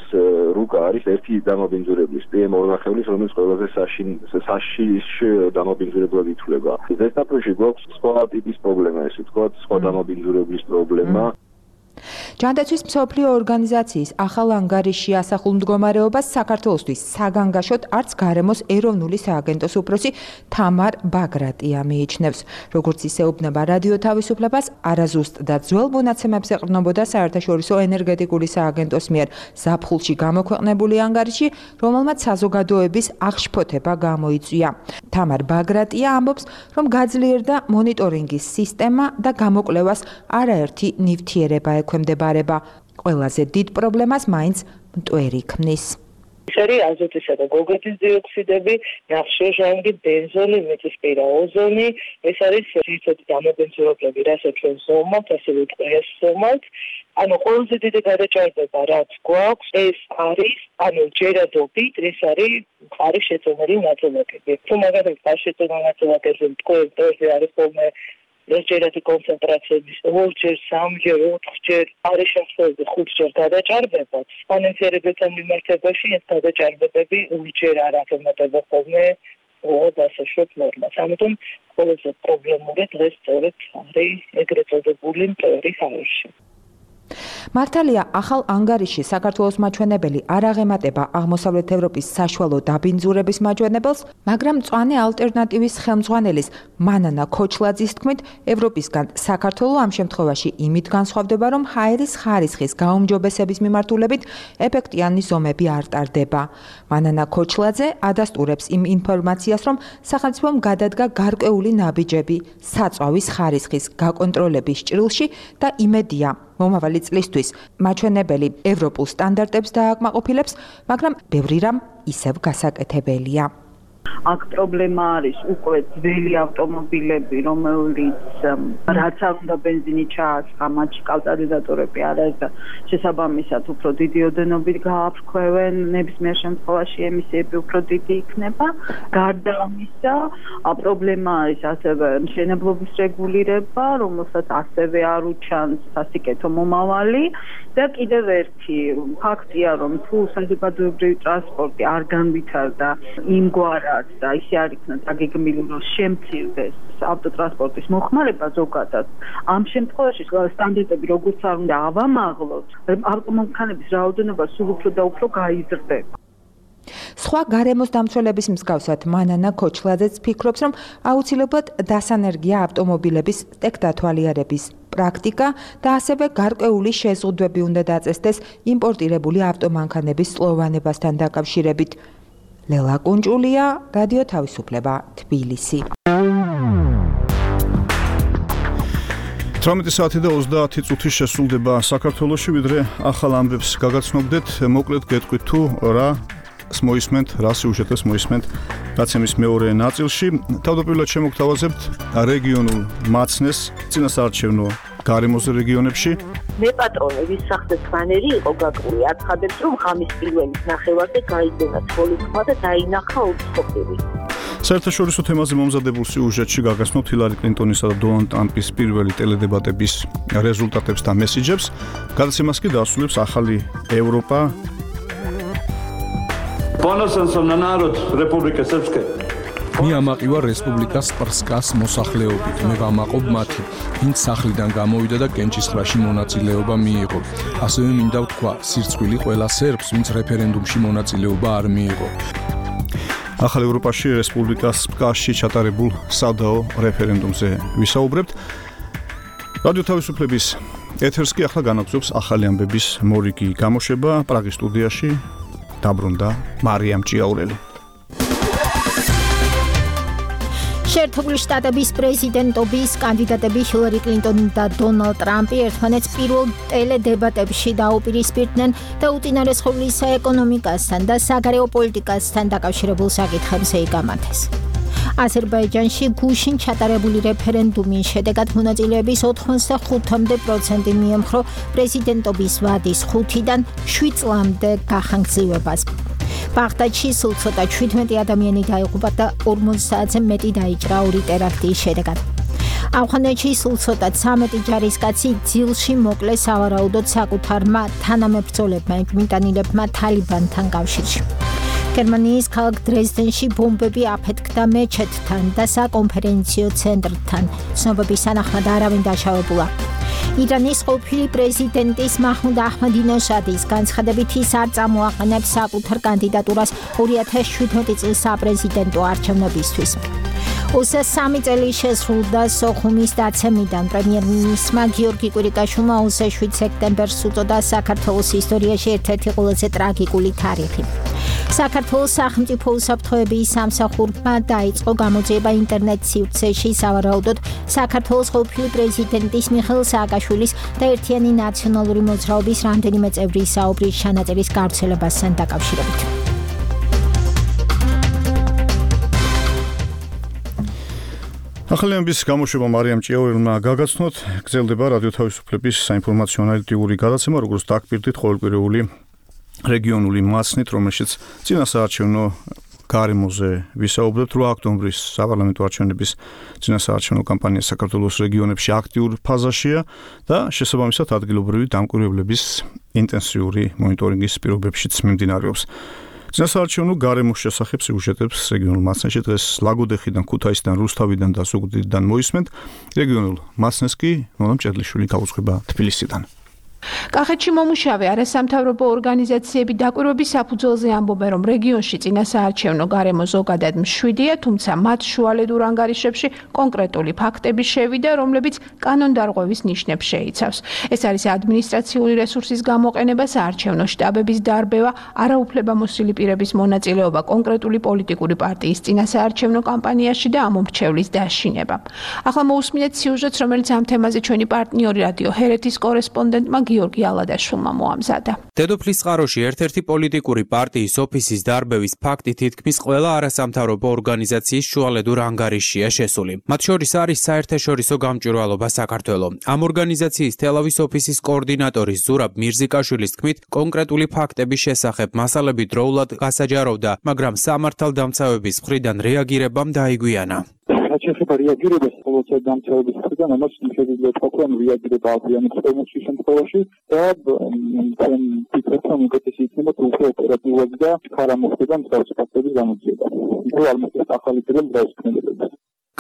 რუკა არის ერთი დამაბინძურებლის პი ემ ორ, რომელიც ყველაზე საშიშ დამაბინძურებლად ითვლება. ზესტაფონში გვაქვს სხვა ტიპის პრობლემა, ესე ვთქვათ, სხვა დამაბინძურებლის პრობლემა. ჯანდაცვის მსოფლიო ორგანიზაციის ახალ ანგარიშში ასახულ მდგომარეობას საქართველოსთვის საგანგაშოდ არც გარემოს ეროვნული სააგენტოს უფროსი თამარ ბაგრატია მიიჩნევს. როგორც ის ეუბნება რადიო თავისუფლებას, არაზუსტ და ძველ მონაცემებს ეყრდნობოდა საერთაშორისო ენერგეტიკული სააგენტოს მიერ ზაფხულში გამოქვეყნებული ანგარიში, რომელმაც საზოგადოების აღშფოთება გამოიწვია. თამარ ბაგრატია ამბობს, რომ გაძლიერდა მონიტორინგის სისტემა და გამოკვლევას არაერთი ნივთიერება ექვემდებარება. ყველაზე დიდ პრობლემას მაინც მტვერი ქმნის. ეს არის აზოტისა და გოგირდის დიოქსიდები, ნახშირჟანგი, ბენზოლი, მიწისპირა ოზონი, ეს არის ძირითადი დამაბინძურებლები, რასაც ჩვენ ზომავთ, ასევე ტყეას ზომავთ. ანუ ყველაზე დიდი გადაჭარბება, რაც გვაქვს, ეს არის, ანუ ჯერადობით, ეს არის მყარი შეწონილი ნაწილაკები. თუ მაგალითად მყარი შეწონილი ნაწილაკებზე მტკვერზე არის ხოლმე ეს ჯერადი კონცენტრაციების ორჯერ, სამჯერ, ოთხჯერ, არის შემთხვევები ხუთჯერ გადაჭარბება. სპონენციირებელთან მიმართებაში ეს გადაჭარბებები ორჯერ არ აღემატება ხოლმე დასაშვებ ნორმას. ამიტომ ყველაზე პრობლემური დღეს სწორედ არის ეგრეთ წოდებული მტვერი ჰაერში. მართალია, ახალ ანგარიში საქართველოს მაჩვენებელი არ აღემატება აღმოსავლეთ ევროპის საშუალო დაბინძურების მაჩვენებელს, მაგრამ მწვანე ალტერნატივის ხელმძღვანელის მანანა ქოჩლაძის თქმით, ევროპისგან საქართველო ამ შემთხვევაში იმით განსხვავდება, რომ ჰაერის ხარისხის გაუმჯობესების მიმართულებით ეფექტიანი ზომები არ ტარდება. მანანა ქოჩლაძე ადასტურებს იმ ინფორმაციას, რომ სახელმწიფომ გადადგა გარკვეული ნაბიჯები საწვავის ხარისხის გაკონტროლების ჭრილში და იმედია მომავალი წლისთვის მაჩვენებელი ევროპულ სტანდარტებს დააკმაყოფილებს, მაგრამ ბევრი რამ ისევ გასაკეთებელია. აქ პრობლემა არის უკვე ძველი ავტომობილები, რომელიც რაც არ უნდა ბენზინი ჩაასხა, მათში კატალიზატორები არ არის და შესაბამისად უფრო დიდი ოდენობით გააფრქვევენ, ნებისმიერ შემთხვევაში ემისიები უფრო დიდი იქნება. გარდა ამისა, პრობლემა არის ასევე მშენებლობის რეგულირება, რომელსაც ასევე არ უჩანს სასიკეთო მომავალი და კიდევ ერთი ფაქტია, რომ თუ საზოგადოებრივი ტრანსპორტი არ განვითარდა იმგვარად და ისე არ იქნა დაგეგმილი, რომ შემცირდეს ავტოტრანსპორტის მოხმარება ზოგადად. ამ შემთხვევაში სტანდარტები როგორც არ უნდა ავამაღლოთ, ავტომანქანების რაოდენობა სულ უფრო და უფრო გაიზრდება. სხვა გარემოს დამცველების მსგავსად მანანა ქოჩლაძეც ფიქრობს, რომ აუცილებლად დასანერგია ავტომობილების ტექდათვალიერების პრაქტიკა და ასევე გარკვეული შეზღუდვები უნდა დაწესდეს იმპორტირებული ავტომანქანების სლოვანებასთან დაკავშირებით. ლელა კუნჭულია, რადიო თავისუფლება, თბილისი. თვრამეტი საათი და ოცდაათი წუთი შესრულდება საქართველოში, ვიდრე ახალ ამბებს გაგაცნობდეთ, მოკლედ გეტყვით თუ რა მოისმენთ, რა სიუჟეტებს მოისმენთ გაცემის მეორე ნაწილში. თავდაპირველად შემოგთავაზებთ რეგიონულ მაცნეს წინასაარჩევნო გარემოზე რეგიონებში. მე პატრონი ვის სახზე ფანერი იყო გაკრული, აცხადებს რომ ღამის პირველის ნახევარზე გაიგონა ცხოველთქმა და დაინახა უცხოპირი. საერთაშორისო თემაზე მომზადებულ სიუჟეტში გაგაცნობთ ჰილარი კლინტონისა და დონალდ ტრამპის პირველი ტელედებატების რეზულტატებს და მესიჯებს. გადაცემას კი დაასრულებს ახალი ევროპა. Ponosan na narod Republike Srpske. მე ამაყივა რესპუბლიკა სპრსკას მოსახლეობით. მე ვამაყობ მათი, ვინც სახლიდან გამოვიდა და კენჭისყრაში მონაწილეობა მიიღო. ასევე მინდა ვთქვა, სირცხვილი ყველა სერბს, ვინც რეფერენდუმში მონაწილეობა არ მიიღო. ახალ ევროპაში რესპუბლიკა სპკაში ჩატარებულ სადაო რეფერენდუმზე ვისაუბრებთ. რადიო თავისუფლების ეთერს კი ახლა განაგზობს ახალი ამბების მორიგი გამოშვება პრაღის სტუდიაში დაბრუნდა მარიამ ჭიაურელი. შეერთებული შტატების პრეზიდენტობის კანდიდატები ჰილარი კლინტონი და დონალდ ტრამპი ერთმანეთს პირველ ტელედებატებში დაუპირისპირდნენ და უწინარესხული საეკონომიკასთან და საგარეო პოლიტიკასთან დაკავშირებულ საკითხებზე იგამათეს. აზერბაიჯანში გუშინ ჩატარებული რეფერენდუმის შედეგად მონაწილეების ოცდახუთამდე პროცენტი მიემხრო პრეზიდენტობის ვადის ხუთიდან შვიდ წლამდე გახანგრძლივებას. ბაღდადში სულ ცოტა შვიდმეტი ადამიანი დაიღუპა და ორმოც საათზე მეტი დაიჭრა ორი ტერაქტის შედეგად. ავღანეთში სულ ცოტა ცამეტი ჯარისკაცი ძილში მოკლეს სავარაუდოდ საკუთარმა თანამებრძოლებმა ეგვიმიტანილებმა თალიბანთან კავშირში. გერმანიის ქალაქ დრეზდენში ბომბები აფეთქდა მეჩეთთან და საკონფერენციო ცენტრთან. ცნობების თანახმად არავინ დაშავებულა. ირანის ყოფილი პრეზიდენტის მაჰმუდ აჰმადინეჟადის განცხადებით ის არ წამოაყენებს საკუთარ კანდიდატურას ორი ათას შვიდმეტი წლის საპრეზიდენტო არჩევნებისთვის. ოცდასამი წელი შესრულდა სოხუმის დაცემიდან. პრემიერ-მინისტრმა გიორგი კვირიკაშვილმა ოცდაშვიდ სექტემბერს უწოდა საქართველოს ისტორიაში ერთ-ერთი ყველაზე ტრაგიკული თარიღი. საქართველოს სახელმწიფო უსაფრთხოების სამსახურმა დაიწყო გამოძიება ინტერნეტ სივრცეში სავარაუდოდ საქართველოს ყოფილი პრეზიდენტის მიხეილ სააკაშვილის და ერთიანი ნაციონალური მოძრაობის რამდენიმე წევრის საუბრის ჩანაწერის გავრცელებასთან დაკავშირებით. ახალი ამბის გამოშვება მარიამ ჭიაურელმა გაგაცნოთ. გრძელდება რადიო თავისუფლების საინფორმაციო ანალიტიკური გადაცემა, როგორც დაგპირდით ყოველკვირეული რეგიონული მასნით, რომელშიც წინასაარჩევნო გარემოზე ვისაუბრებთ. რვა ოქტომბრის საპარლამენტო არჩევნების წინასაარჩევნო კამპანია საქართველოს რეგიონებში აქტიურ ფაზაშია და შესაბამისად ადგილობრივი დამკვირვებლების ინტენსიური მონიტორინგის პირობებშიც მიმდინარეობს. წინასაარჩევნო გარემოს შესახებ სიუჟეტებს რეგიონულ მასნებში დღეს ლაგოდეხიდან, ქუთაისიდან, რუსთავიდან და ზუგდიდიდან მოისმენთ. რეგიონულ მასნეს კი ნონა მჭედლიშვილი გაუძღვება თბილისიდან. კახეთში მომუშავე არასამთავრობო ორგანიზაციები დაკვირვების საფუძველზე ამბობენ, რომ რეგიონში წინასაარჩევნო გარემო ზოგადად მშვიდია, თუმცა მათ შუალედურ ანგარიშებში კონკრეტული ფაქტები შევიდა, რომლებიც კანონდარღვევის ნიშნებს შეიცავს. ეს არის ადმინისტრაციული რესურსის გამოყენება, საარჩევნო შტაბების დარბევა, არაუფლებამოსილი პირების მონაწილეობა კონკრეტული პოლიტიკური პარტიის წინასაარჩევნო კამპანიაში და ამომრჩევლის დაშინება. ახლა მოусმინეთ სიუჟეტს, რომელიც ამ თემაზე ჩვენი პარტნიორი რადიო ჰერეთის კორესპონდენტმა გიორგი ალადაშვილმა მოამზადა. დედოფლის წყაროში ერთ-ერთი პოლიტიკური პარტიის ოფისის დარბევის ფაქტი თითქმის ყველა არასამთავრობო ორგანიზაციის შუალედურ ანგარიშია შესული. მათ შორის არის საერთაშორისო გამჭვირვალობა საქართველო. ამ ორგანიზაციის თელავის ოფისის კოორდინატორის ზურაბ მირზიკაშვილის თქმით, კონკრეტული ფაქტების შესახებ მასალები დროულად გასაჯაროვდა, მაგრამ სამართალდამცავების მხრიდან რეაგირებამ დაიგვიანა. შეიძლება რეაგირებას ყოველთვის დამცავების მხრიდან, ამას შეიძლება თქვა, რომ რეაგირება აღიანებს ყოველთვის შემთხვევაში და ჩვენ ვფიქრობთ, რომ უკეთესი იქნება თუ უფრო ოპერატიულად და ხარა მოხდება მსგავსი ფაქტების გამოძიება. თუ არ მოხდეს ახალი პირობ დაუსკვნელდება.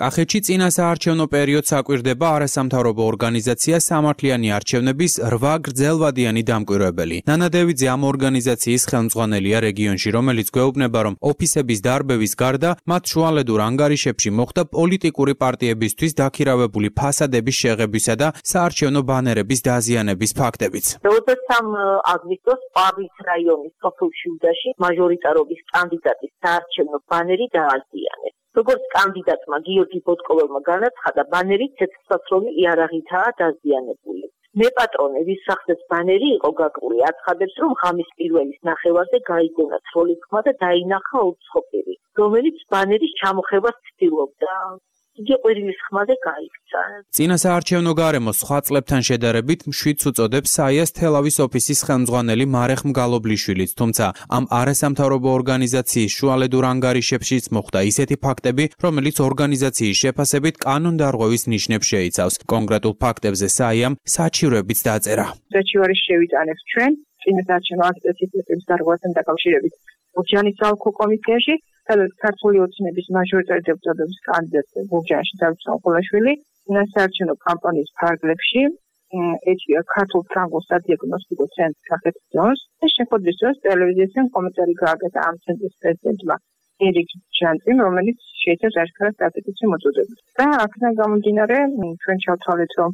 კახეთში წინასაარჩევნო პერიოდს აკვირდება არასამთავრობო ორგანიზაცია სამართლიანი არჩევნების რვა გრძელვადიანი დამკვირვებელი. ნანა დევიძე ამ ორგანიზაციის ხელმძღვანელია რეგიონში, რომელიც გვეუბნება, რომ ოფისების დარბევის გარდა მათ შუალედურ ანგარიშებში მოხდა პოლიტიკური პარტიებისთვის დაქირავებული ფასადების შეღებისა და საარჩევნო ბანერების დაზიანების ფაქტებიც. ოცდასამი აგვისტოს პავის რაიონის სოფელ შიუდაში მაჟორიტარობის კანდიდატის საარჩევნო ბანერი დააზიანეს. როგორც კანდიდატმა გიორგი ბოტკოველმა განაცხადა, ბანერი ცეცხლსასროლი იარაღითაა დაზიანებული. მეპატრონების სახზეც ბანერი იყო გაკრული, აცხადებს, რომ ღამის პირველის ნახევარზე გაიგონა ცროლის ხმა და დაინახა უცხოპირი, რომელიც ბანერის ჩამოხებას ცდილობდა. იგი ყვირილის ხმაზე გაიქცა. წინასაარჩევნო გარემოს სხვა წლებთან შედარებით მშვიდს უწოდებს საიას თელავის ოფისის ხელმძღვანელი მარეხ მგალობლიშვილიც, თუმცა ამ არასამთავრობო ორგანიზაციის შუალედურ ანგარიშებშიც მოხვდა ისეთი ფაქტები, რომელიც ორგანიზაციის შეფასებით კანონდარღვევის ნიშნებს შეიცავს. კონკრეტულ ფაქტებზე საიამ საჩივრებიც დაწერა. საჩივარი შევიტანებს ჩვენ წინასაარჩევნო აქტივიტეტების დარღვევასთან დაკავშირებით ბურჯანის ალქო კომისიაში, სადაც ქართული ოცნების მაჟორიტარი დეპუტატების კანდიდატი ბურჯანში დავით სამყოლაშვილი წინასაარჩევნო კამპანიის ფარგლებში ეჭვია ქართულ ფრანგულ სადიაგნოსტიკო ცენტრს კახეთის ზონს და შეხვედრის დროს ტელევიზიასთან კომენტარი გააკეთა ამ ცენტრის პრეზიდენტმა ერიკ ჯანტიმ, რომელიც შეიცავს აშკარად სტატისტიკურ მოწოდებას. და აქედან გამომდინარე, ჩვენ ჩავთვალეთ, რომ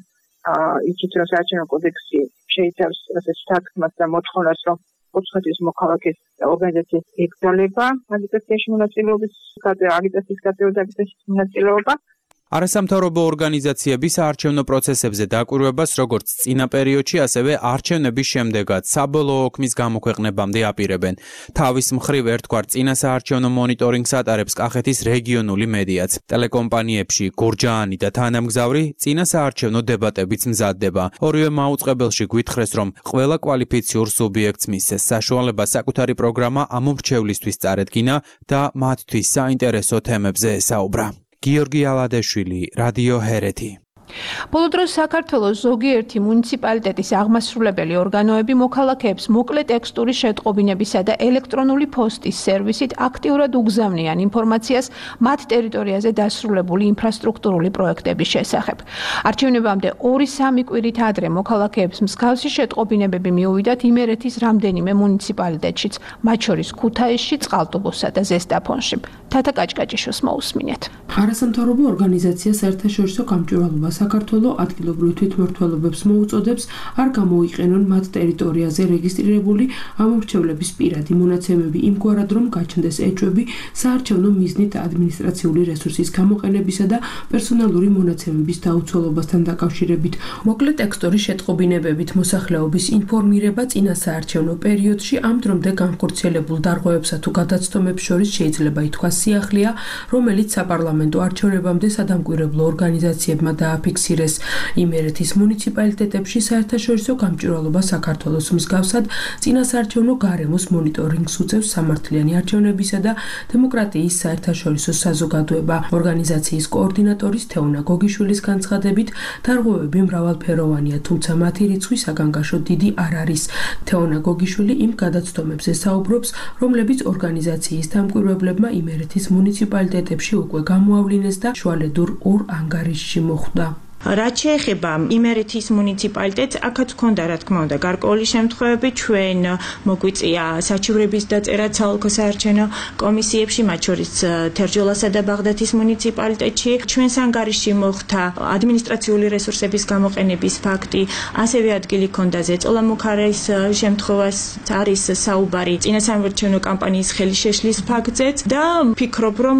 იქით რომ საარჩევნო კოდექსი შეიცავს ასე სტატკმას და მოთხოვნას, რომ უცხოეთის მოქალაქის ორგანიზაციის ეკრძალება აგიტაციაში მონაწილეობის აგიტაციის გაწევრების მონაწილეობა. არასამთავრობო ორგანიზაციების საარჩევნო პროცესებზე დაკვირვებას როგორც წინა პერიოდში, ასევე არჩევნების შემდეგაც საბოლოო ოქმის გამოქვეყნებამდე აპირებენ. თავის მხრივ ერთგვარ წინასაარჩევნო მონიტორინგს ატარებს კახეთის რეგიონული მედიაც. ტელეკომპანიებში გურჯაანი და თანამგზავრი წინასაარჩევნო დებატებიც მზადდება. ორივე მაუწყებელში გვითხრეს, რომ ყველა კვალიფიციურ სუბიექტს მისცეს საშუალება საკუთარი პროგრამა ამ მრჩევლისთვის წარედგინა და მათთვის საინტერესო თემებზე ესაუბრა. გიორგი ალადეშვილი, რადიო ჰერეთი. ბოლო დროს საქართველოს ზოგიერთი მუნიციპალიტეტის აღმასრულებელი ორგანოები მოქალაქეებს მოკლე ტექსტური შეტყობინებისა და ელექტრონული პოსტის სერვისით აქტიურად უგზავნიან ინფორმაციას მათ ტერიტორიაზე დასრულებული ინფრასტრუქტურული პროექტების შესახებ. არჩევნებამდე ორი-სამი კვირით ადრე მოქალაქეებს მსგავსი შეტყობინებები მიუვიდათ იმერეთის რამდენიმე მუნიციპალიტეტშიც, მათ შორის ქუთაისში, წყალტუბოსა და ზესტაფონში. თათა კაჭკაჭიშვილს მოусმინეთ. არასამთავრობო ორგანიზაცია საერთაშორისო გამჭვირვალობა საქართველოს ადგილობრივ თვითმმართველობებს მოუწოდებს არ გამოიყენონ მათ ტერიტორიაზე რეგისტრირებული ამომრჩევლების პირადი მონაცემები იმგვარად, რომ გაჩნდეს ეჭვები საარჩევნო მიზნით ადმინისტრაციული რესურსის გამოყენებისა და პერსონალური მონაცემების დაუცველობასთან დაკავშირებით. მოკლე ტექსტური შეტყობინებებით მოსახლეობის ინფორმირება წინასაარჩევნო პერიოდში ამ დრომდე განხორციელებულ დარღვევებსა თუ გადაცდომებს შორის შეიძლება ითქვას სიახლეა, რომელიც საპარლამენტო არჩევნებამდე სადამკვირვებლო ორგანიზაციებმა დააფიქსირეს. იმერეთის მუნიციპალიტეტებში საერთაშორისო გამჭვირვალობა საქართველოს მსგავსად წინასაარჩევნო გარემოს მონიტორინგს უწევს სამართლიანი არჩევნებისა და დემოკრატიის საერთაშორისო საზოგადოება. ორგანიზაციის კოორდინატორის თეონა გოგიშვილის განცხადებით, დარღვევები მრავალფეროვანია, თუმცა მათი რიცხვი საგანგაშო დიდი არ არის. თეონა გოგიშვილი იმ გადაცდომებზე საუბრობს, რომლებიც ორგანიზაციის დამკვირვებლებმა იმერეთის მუნიციპალიტეტებში უკვე გამოავლინეს და შუალედურ ორ ანგარიშში მოხვდა. რაც შეეხება იმერეთის მუნიციპალიტეტს, აქაც ჰქონდა რა თქმა უნდა გარკვეული შემთხვევები, ჩვენ მოგვიწია საჩივრების დაწერა საოლქო საარჩევნო კომისიებში, მათ შორის თერჯოლასა და ბაღდათის მუნიციპალიტეტში. ჩვენს ანგარიშში მოხვდა ადმინისტრაციული რესურსების გამოყენების ფაქტი, ასევე ადგილი ჰქონდა ზეწოლა მუხარის შემთხვევას, არის საუბარი წინასაარჩევნო კამპანიის ხელშეშლის ფაქტზეც და ვფიქრობ, რომ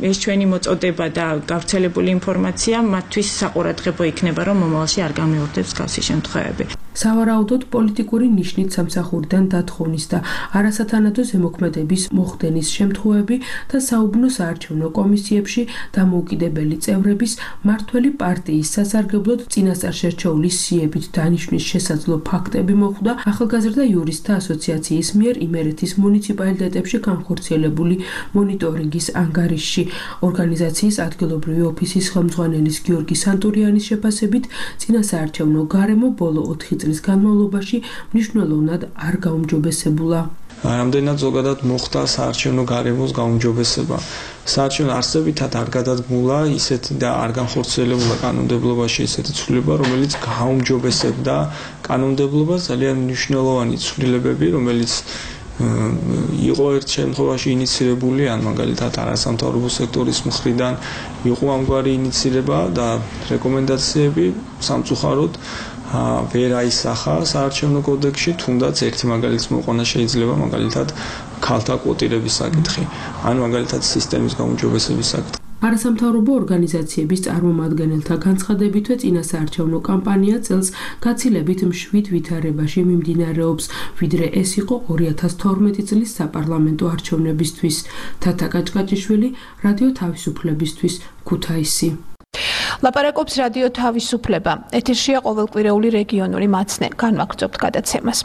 ეს ჩვენი მოწოდება და გავრცელებული ინფორმაცია მათთვის საყურადღებო იქნება, რომ მომავალში არ გამეორდეს გასი შემთხვევები. სავარაუდოდ პოლიტიკური ნიშნით სამსახურიდან დათხოვნის და არასათანადო ზემოქმედების მოხდენის შემთხვევები და საუბნო საარჩევნო კომისიებში დამოუკიდებელი წევრების მართველი პარტიის სასარგებლოდ წინასწარ შერჩეული სიებით დანიშვნის შესაძლო ფაქტები მოხვდა ახალგაზრდა იურისტთა ასოციაციის მიერ იმერეთის მუნიციპალიტეტებში განხორციელებული მონიტორინგის ანგარიშში. ორგანიზაციის ადგილობრივი ოფისის ხელმძღვანელის გიორგი სანტურიანის შეფასებით, წინასაარჩევნო გარემო ბოლო ოთხი წლის განმავლობაში მნიშვნელოვნად არ გაუმჯობესებულა. რამდენად ზოგადად მოხდა საარჩევნო გარემოს გაუმჯობესება. საარჩევნო არსებითად არ გადადგმულა ისეთი და არ განხორციელებულა კანონმდებლობაში ისეთი ცვლილება, რომელიც გაუმჯობესებდა კანონმდებლობას. ძალიან მნიშვნელოვანი ცვლილებები, რომელიც იყო ერთ შემთხვევაში ინიცირებული, ან მაგალითად არასამთავრობო სექტორის მხრიდან იყო ამგვარი ინიცირება და რეკომენდაციები სამწუხაროდ ვერ აისახა საარჩევნო კოდექსში, თუნდაც ერთი მაგალითს მოყვანა შეიძლება, მაგალითად ქალთა კვოტირების საკითხი, ან მაგალითად სისტემის გაუმჯობესების საკითხი. არასამთავრობო ორგანიზაციების წარმომადგენელთა განცხადებითვე წინასაარჩევნო კამპანია წელს გაცილებით მშვიდ ვითარებაში მიმდინარეობს, ვიდრე ეს იყო ორი ათას თორმეტი წლის საპარლამენტო არჩევნებისთვის. თათა კაჭკაჭიშვილი, რადიო თავისუფლებისთვის, ქუთაისი. ლაპარაკობს რადიო თავისუფლება. ეთერშია ყოველკვირეული რეგიონული მაცნე. განვაგრძობთ გადაცემას.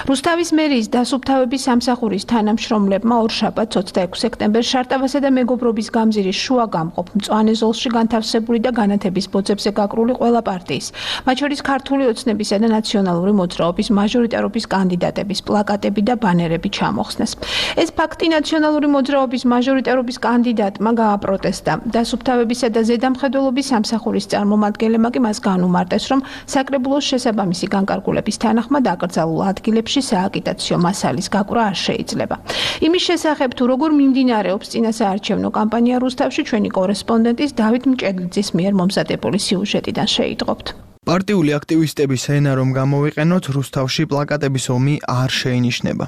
რუსთავის მერიის დასუფთავების სამსახურის თანამშრომლებმა ორშაბათს ოცდაექვსი სექტემბერს შარტავასა და მეგობრობის გამზირის შუა გამყოფ მწვანე ზოლში განთავსებული და განათების ბოძებზე გაკრული ყველა პარტიის, მათ შორის ქართული ოცნებისა და ნაციონალური მოძრაობის მაჟორიტარობის კანდიდატების პლაკატები და ბანერები ჩამოხსნეს. ეს ფაქტი ნაციონალური მოძრაობის მაჟორიტარობის კანდიდატმა გააპროტესტა. დასუფთავებისა და ზედამხედველობის სამსახურის წარმომადგენლებმა კი მას განუმარტეს, რომ საკრებულოს შესაბამისი განკარგულების თანახმად აკრძალულ ადგილებში სააგიტაციო მასალის გაკვრა არ შეიძლება. იმის შესახებ თუ როგორ მიმდინარეობს წინასაარჩევნო კამპანია რუსთავში ჩვენი კორესპონდენტის დავით მჭედლიძის მიერ მომზადებული სიუჟეტიდან შეიტყობთ. პარტიული აქტივისტების ენა რომ გამოვიყენოთ, რუსთავში პლაკატების ომი არ შეინიშნება.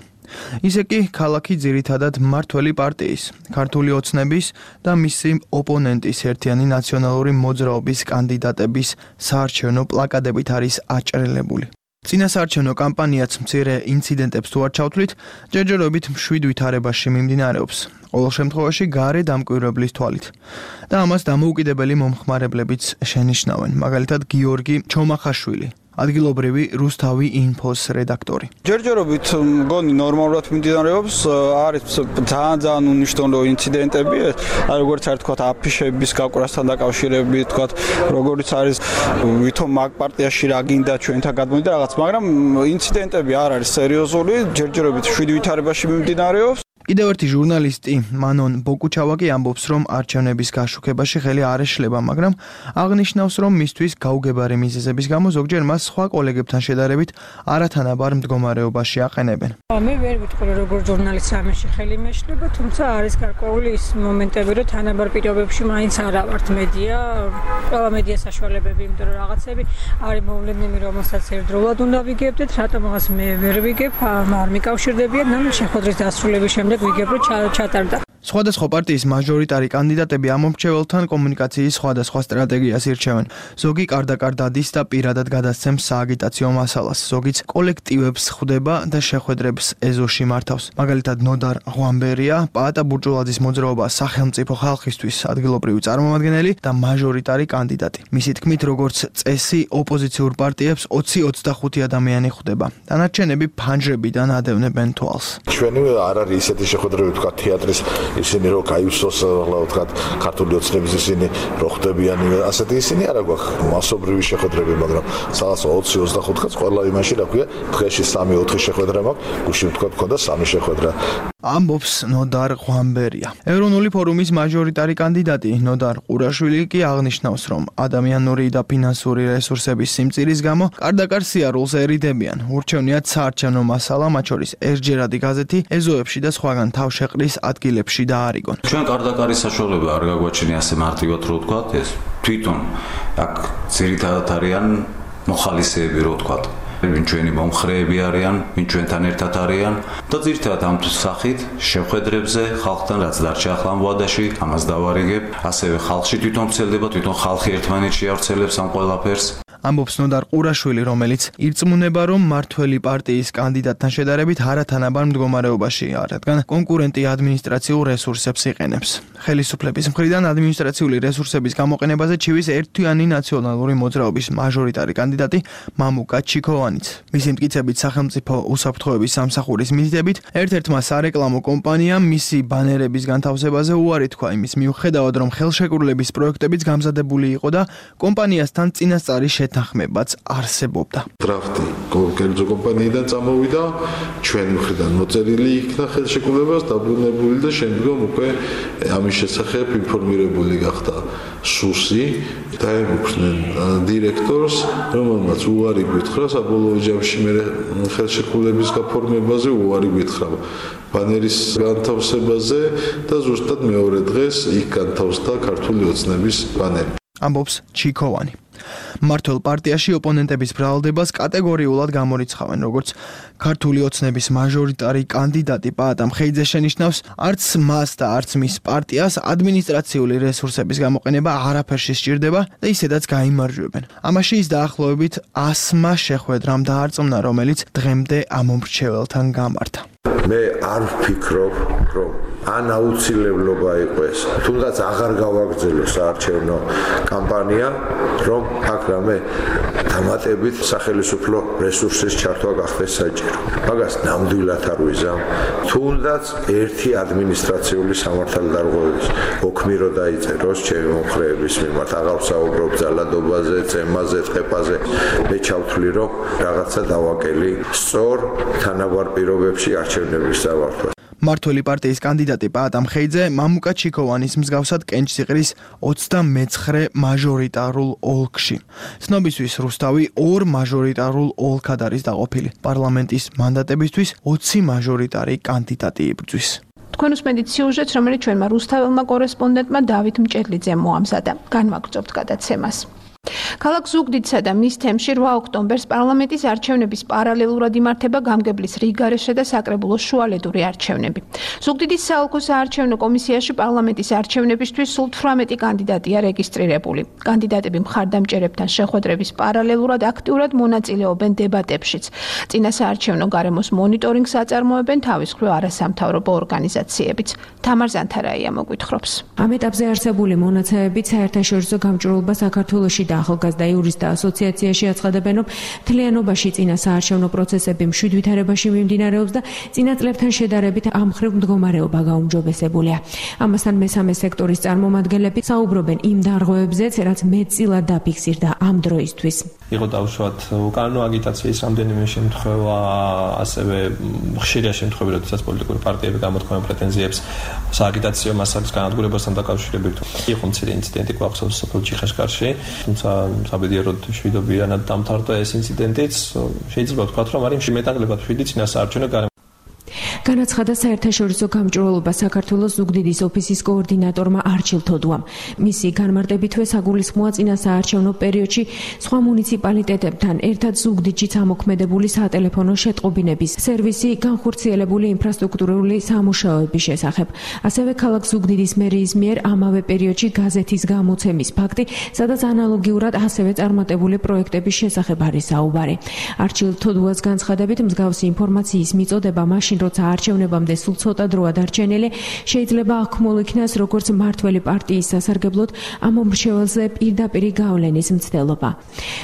ისე კი ქალაქი ძირითადად მმართველი პარტიის, ქართული ოცნების და მისი ოპონენტის ერთიანი ნაციონალური მოძრაობის კანდიდატების საარჩევნო პლაკატებით არის აჭრელებული. წინასაარჩევნო კამპანიაც მცირე ინციდენტებს თუ არ ჩავთვლით, ჯერჯერობით მშვიდ ვითარებაში მიმდინარეობს. ყოველ შემთხვევაში გარე დამკვირვებლის თვალით. და ამას დამოუკიდებელი მომხმარებლებიც შენიშნავენ, მაგალითად გიორგი ჩომახაშვილი, ადგილობრივი რუსთავი ინფოს რედაქტორი. ჯერჯერობით მგონი ნორმალურად მიმდინარეობს, არის ძალიან ძალიან უნიშნულო ინციდენტები, როგორც არ თქვა აფიშების გაკვრასთან დაკავშირებით, თქვა როგორც არის ვითომ მაგ პარტიაში რა გინდა ჩვენთან გადმოვიდა რაღაც, მაგრამ ინციდენტები არ არის სერიოზული, ჯერჯერობით შვიდ ვითარებაში მიმდინარეობს. კიდევ ერთი ჟურნალისტი მანონ ბოკუჩავაკი ამბობს, რომ არჩევნების გაშუქებაში ხელი არ ეშლება, მაგრამ აღნიშნავს, რომ მისთვის გაუგებარი მიზეზების გამო ზოგჯერ მას სხვა კოლეგებთან შედარებით არათანაბარ მდგომარეობაში აყენებენ. მე ვერ ვიტყვი, როგორ ჟურნალისტს ამაში ხელი მეშლება, თუმცა არის გარკვეული ის მომენტები, რომ თანაბარ პირობებში მაინც არა ვართ მედია, ყველა მედია საშუალებები, იმიტომ რომ რაღაცები არის მოვლენები, რომელსაც ერთდროულად უნდა ვიგებდეთ, რატომ რაღაც მე ვერ ვიგებ, არ მიკავშირდებიან, ნუ შეხვედრის დასრულების შემდეგ ვიგებ, რომ ჩატარდა. სხვადასხვა პარტიის მაჟორიტარი კანდიდატები ამ მომრჩეველთან კომუნიკაციის სხვადასხვა სტრატეგიას ირჩევენ. ზოგი კარდაკარ დადის და პირადად გადასცემს სააგიტაციო მასალას, ზოგიც კოლექტივებს ხვდება და შეხვედრებს ეზოში მართავს. მაგალითად ნოდარ ღვამბერია, პაატა ბურჭულაძის მოძრაობა სახელმწიფო ხალხისთვის ადგილობრივი წარმომადგენელი და მაჟორიტარი კანდიდატი. მისი თქმით, როგორც წესი, ოპოზიციურ პარტიებს ოცი ოცდახუთი ადამიანი ხვდება. დანარჩენები ფანჯრებიდან ადევნებენ თვალს. ჩვენი არ არის ისეთი შეხვედრები, თქვა თეატრის ისინი რო გაივსოს ვთქვათ ქართული ოცნების ისინი რო ხდებიან ასეთი ისინი არა გვაქვს მასობრივი შეხვედრები, მაგრამ სადაც ოცი ოცდახუთი კაც ყველა იმაში რა ქვია დღეში სამი ოთხი შეხვედრა მაქვს, გუშინ ვთქვათ ქონდა სამი შეხვედრა. ამბობს ნოდარ ღვამბერია. ეროვნული ფორუმის მაჟორიტარი კანდიდატი ნოდარ ყურაშვილი კი აღნიშნავს, რომ ადამიანური და ფინანსური რესურსების სიმწირის გამო კარდაკარ სიარულს ერიდებიან. ურჩევნიათ საარჩევნო მასალა, მათ შორის ერთჯერადი გაზეთი, ეზოებში და სხვაგან თავშეყრის ადგილებში დაარიგონ. ჩვენ კარდაკარის საშუალება არ გაგვაჩნია ასე მარტივად რო ვთქვათ, ეს თვითონ აქ ძირითადად არიან მოხალისეები რო ვთქვათ. ვინ ჩვენი მომხრეები არიან, ვინ ჩვენთან ერთად არიან და ძირითადად ამ სახით შეხვედრებზე ხალხთან რაც დარჩა ახლა მოვადაში, ამას დავარიგებ, ასევე ხალხში თვითონ ვრცელდება, თვითონ ხალხი ერთმანეთში ავრცელებს ამ ყველაფერს. ამბობს ნოდარ ყურაშვილი, რომელიც ირწმუნება, რომ მართველი პარტიის კანდიდატთან შედარებით არათანაბარ მდგომარეობაშია, რადგან კონკურენტი ადმინისტრაციულ რესურსებს იყენებს. ხელისუფლების მხრიდან ადმინისტრაციული რესურსების გამოყენებაზე ჩივის ერთიანი ნაციონალური მოძრაობის მაჟორიტარი კანდიდატი მამუკა ჩიქოვანიც. მისი მტკიცებით სახელმწიფო უსაფრთხოების სამსახურის მიზიდებით ერთ-ერთმა სარეკლამო კომპანიამ მისი ბანერების განთავსებაზე უარი თქვა იმის მიუხედავად, რომ ხელშეკრულების პროექტებიც გამზადებული იყო და კომპანიასთან წინასწარი შეთანხმებაც არსებობდა. დრაფტი კერძო კომპანიიდან წამოვიდა, ჩვენი მხრიდან მოწერილი იქნა ხელშეკრულებას, დაბრუნებული და შემდგომ უკვე ამის შესახებ ინფორმირებული გახდა სუსი, დაემუქრნენ დირექტორს, რომელმაც უარი გვითხრა საბოლოო ჯამში მე ხელშეკრულების გაფორმებაზე უარი გვითხრა ბანერის განთავსებაზე და ზუსტად მეორე დღეს იქ განთავსდა ქართული ოცნების ბანერი. ამბობს ჩიქოვანი. მართლ პარტიაში ოპონენტების ბრალდებას კატეგორიულად გამორიცხავენ, როგორც ქართული ოცნების მაჟორიტარი კანდიდატი პაატა მხეიძე შენიშნავს, არც მას და არც მის პარტიას ადმინისტრაციული რესურსების გამოყენება არაფერში სჭირდება და ისედაც გაიმარჯვებენ. ამაში ის დაახლოებით ასმა შეხვედრამ დაარწმუნა, რომელიც დღემდე ამ მომრჩეველთან გამართა. მე არ ვფიქრობ, რომ ან აუცილებლობა იყო ეს, თუნდაც აღარ გავაგრძელო საარჩევნო კამპანია, რომ აქ რამე დამატებით სახელმწიფო რესურსის ჩართვა გახდეს საჭირო. მაგას ნამდვილად არ ვიზამ. თუნდაც ერთი ადმინისტრაციული სამართალდარღვევის ოქმი რო დაიწეროს ჩემი მომხრეების მიმართ, აღარ ვსაუბრობ ძალადობაზე, წემაზე, ტყეპაზე, მე ჩავთვლი, რომ რაღაცა დავაკელი სწორ თანაბარ პირობებში არჩევნების დავართვა. მართველი პარტიის კანდიდატი პაატა მხეიძე მამუკა ჩიქოვანის მსგავსად კენჭსიყრის ოცდამეცხრე მაჟორიტარულ ოლქში. ცნობისთვის რუსთავი ორ მაჟორიტარულ ოლქად არის დაყოფილი. პარლამენტის მანდატებისთვის ოცი მაჟორიტარი კანდიდატი იბრძვის. თქვენ უსმენთ სიუჟეტს, რომელიც ჩვენმა რუსთაველმა კორესპონდენტმა დავით მჭედლიძემ მოამზადა. განვაგრძობთ გადაცემას. ქალაქ ზუგდიდსა და მის თემში რვა ოქტომბერს პარლამენტის არჩევნების პარალელურად იმართება გამგებლის რიგგარეშე და საკრებულოს შუალედური არჩევნები. ზუგდიდის საოლქო საარჩევნო კომისიაში პარლამენტის არჩევნებისთვის სულ თვრამეტი კანდიდატია რეგისტრირებული. კანდიდატები მხარდამჭერებთან შეხვედრების პარალელურად აქტიურად მონაწილეობენ დებატებშიც. წინა საარჩევნო გარემოს მონიტორინგს აწარმოებენ თავის მხრივ არასამთავრობო ორგანიზაციებიც. თამარ ზანთარაია მოგვითხრობს. ამ ეტაპზე არსებული მონაცემებით საერთაშორისო გამჭვირვალობა საქართველოში და ახალგაზრდა იურისტთა ასოციაციაში აცხადებენ, რომ მთლიანობაში წინა საარჩევნო პროცესები მშვიდ ვითარებაში მიმდინარეობს და წინა წლებთან შედარებით ამ მხრივ მდგომარეობა გაუმჯობესებულია. ამასთან მესამე სექტორის წარმომადგენლები საუბრობენ იმ დარღვევებზეც, რაც მეტწილად დაფიქსირდა ამ დროისთვის. იყო დაუშვათ უკანონო აგიტაციის რამდენიმე შემთხვევა, ასევე ხშირია შემთხვევები, როდესაც პოლიტიკური პარტიები გამოთქვამენ პრეტენზიებს სააგიტაციო მასალის განადგურებასთან დაკავშირებით. იყო მცირე ინციდენტი გვახსოვს სოფელ ჩიხაშკარში, თუმცა საბედიეროდ მშვიდობიანად დამთავრდა ეს ინციდენტიც. შეიძლება ვთქვათ, რომ არის მეტნაკლებად მშვიდი წინა საარჩევნო გარემო. განაცხადა საერთაშორისო გამჭვირვალობა საქართველოს ზუგდიდის ოფისის კოორდინატორმა არჩილ თოდუამ. მისი განმარტებითვე საგულისხმოა წინა საარჩევნო პერიოდში სხვა მუნიციპალიტეტებთან ერთად ზუგდიდშიც ამოქმედებული სატელეფონო შეტყობინების სერვისი, განხორციელებული ინფრასტრუქტურული სამუშაოების შესახებ. ასევე ქალაქ ზუგდიდის მერიის მიერ ამავე პერიოდში გაზეთის გამოცემის ფაქტი, სადაც ანალოგიურად ასევე წარმატებული პროექტების შესახებ არის საუბარი. არჩილ თოდუას განცხადებით, მსგავსი ინფორმაციის მიწოდება მაშინ როცა არჩევნებამდე სულ ცოტა დროა დარჩენილი, შეიძლება აღქმულ იქნას როგორც მართველი პარტიის სასარგებლოდ ამ მომრჩეველზე პირდაპირი გავლენის მცდელობა.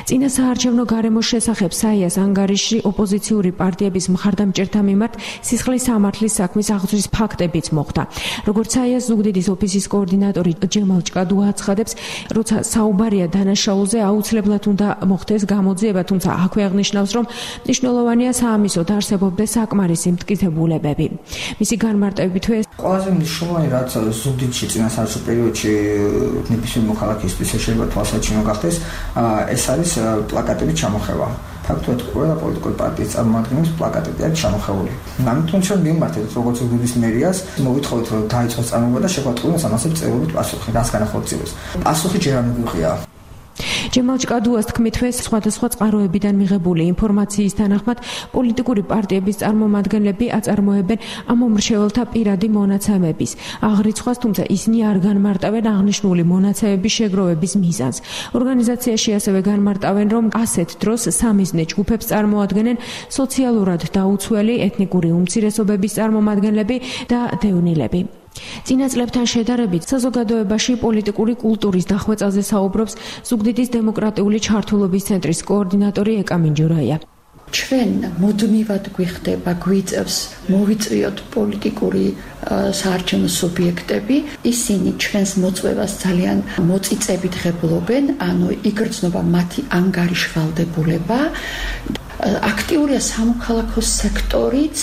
წინა საარჩევნო გარემოს შესახებ საიას ანგარიშში ოპოზიციური პარტიების მხარდამჭერთა მიმართ სისხლის სამართლის საქმის აღძვრის ფაქტებიც მოხდა. როგორც საიას ზუგდიდის ოფისის კოორდინატორი ჯემალ ჭკადუა აცხადებს, როცა საუბარია დანაშაულზე, აუცილებლად უნდა მოხდეს გამოძიება, თუმცა აქვე აღნიშნავს, რომ მნიშვნელოვანია საამისოდ არსებობდეს საკმარისი მტკიცებულებები. მისი განმარტებითვე ყველაზე მნიშვნელოვანი რაც ზუგდიდში წინა საარჩევნო პერიოდში ნებისმიერ მოქალაქისთვის შეიძლება თვალსაჩინო გახდეს, ეს არის პლაკატების ჩამოხევა. ფაქტობრივად ყველა პოლიტიკური პარტიის წარმომადგენლებს პლაკატები აქვს ჩამოხეული. ამიტომ ჩვენ მიმართეთ როგორც ზუგდიდის მერიას, მოვითხოვეთ რომ დაიწყოს წარმოება და შეგვატყუდეს ამასე წევრობით პასუხი, რაც განახორციელოს. პასუხი ჯერ არ მიგვიღია. ჯემალ ჭკადუას თქმითვე სხვადასხვა წყაროებიდან მიღებული ინფორმაციის თანახმად პოლიტიკური პარტიების წარმომადგენლები აწარმოებენ ამ მომრჩეველთა პირადი მონაცემების აღრიცხვას, თუმცა ისინი არ განმარტავენ აღნიშნული მონაცემების შეგროვების მიზანს. ორგანიზაციაში ასევე განმარტავენ, რომ ასეთ დროს სამიზნე ჯგუფებს წარმოადგენენ სოციალურად დაუცველი ეთნიკური უმცირესობების წარმომადგენლები და დევნილები. წინა წლებთან შედარებით საზოგადოებაში პოლიტიკური კულტურის დახვეწაზე საუბრობს ზუგდიდის დემოკრატიული ჩართულობის ცენტრის კოორდინატორი ეკა მინჯურაია. ჩვენ მუდმივად გვიხდება, გვიწევს მოვიწვიოთ პოლიტიკური საარჩევნო სუბიექტები, ისინი ჩვენს მოწვევას ძალიან მოწიწებით ღებულობენ, ანუ იგრძნობა მათი ანგარიშვალდებულება, აქტიურია სამოქალაქო სექტორიც.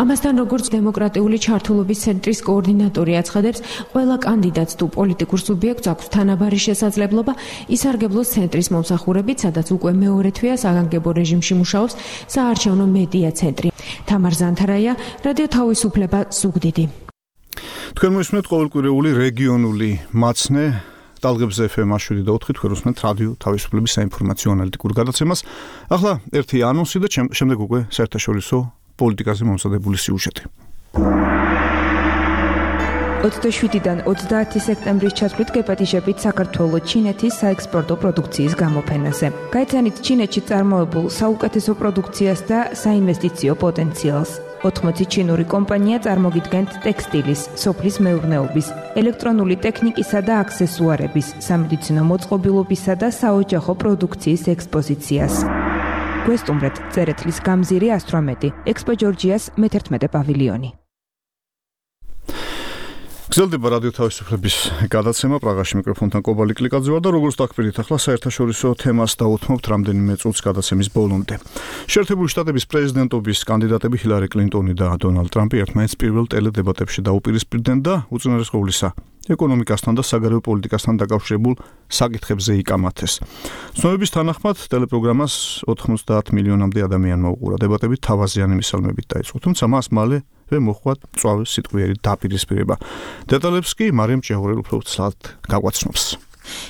ამასთან როგორც დემოკრატიული ჩართულობის ცენტრის კოორდინატორი აცხადებს, ყველა კანდიდატს თუ პოლიტიკურ სუბიექტს აქვს თანაბარი შესაძლებლობა ისარგებლოს ცენტრის მომსახურებით, სადაც უკვე მეორე თვეა საგანგებო რეჟიმში მუშაობს საარჩევნო მედია ცენტრი. თამარ ზანთარაია, რადიო თავისუფლება, ზუგდიდი. თქვენ მოისმენთ ყოველკვირეული რეგიონული მაცნე ტალღებზე ეფ ემ შვიდი და ოთხი თქვენ უსმენთ რადიო თავისუფლების საინფორმაციო ანალიტიკურ გადაცემას. ახლა ერთი ანონსი და შემდეგ უკვე საერთაშორისო პოლიტიკაზე მომზადებული სიუჟეტი. ოცდაშვიდიდან ოცდაათი სექტემბრის ჩათვლით გეპატიჟებით საქართველოს ჩინეთის საექსპორტო პროდუქციის გამოფენაზე. გაიცანით ჩინეთში წარმოებულ საუკეთესო პროდუქციას და საინვესტიციო პოტენციალს. ოთხმოცი ჩინური კომპანია წარმოგიდგენთ ტექსტილის, სოფლის მეურნეობის, ელექტრონული ტექნიკისა და აქსესუარების, სამედიცინო მოწყობილობისა და საოჯახო პროდუქციის ექსპოზიციას. გვესტუმრეთ წერეთლის გამზირი ასტრომეტი, ექსპო ჯორჯიას მეთერთმეტე პავილიონი. გრძელდება რადიო თავისუფლების გადაცემა პრაღაში მიკროფონთან კობალი კლიკაძე ვარ და როგორც დაგხვდით ახლა საერთაშორისო თემას დავუთმობთ რამდენიმე წუთს გადაცემის ბოლომდე. შეერთებული შტატების პრეზიდენტობის კანდიდატები ჰილარი კლინტონი და დონალდ ტრამპი ერთმანეთს პირველ ტელედებატებში დაუპირისპირდნენ და უწინარეს ყოვლისა ეკონომიკასთან და საგარეო პოლიტიკასთან დაკავშირებულ საკითხებზე იკამათეს. ცნობების თანახმად ტელეპროგრამას ოთხმოცდაათ მილიონამდე ადამიანმა უყურა. დებატები თავაზიანი მისალმებით დაიწყო, თუმცა მას მალე მოხდა მწვავე სიტყვიერი დაპირისპირება. დეტალებს კი მარიამ ჭეაურელი უფრო ცალად გაგვაცნობს.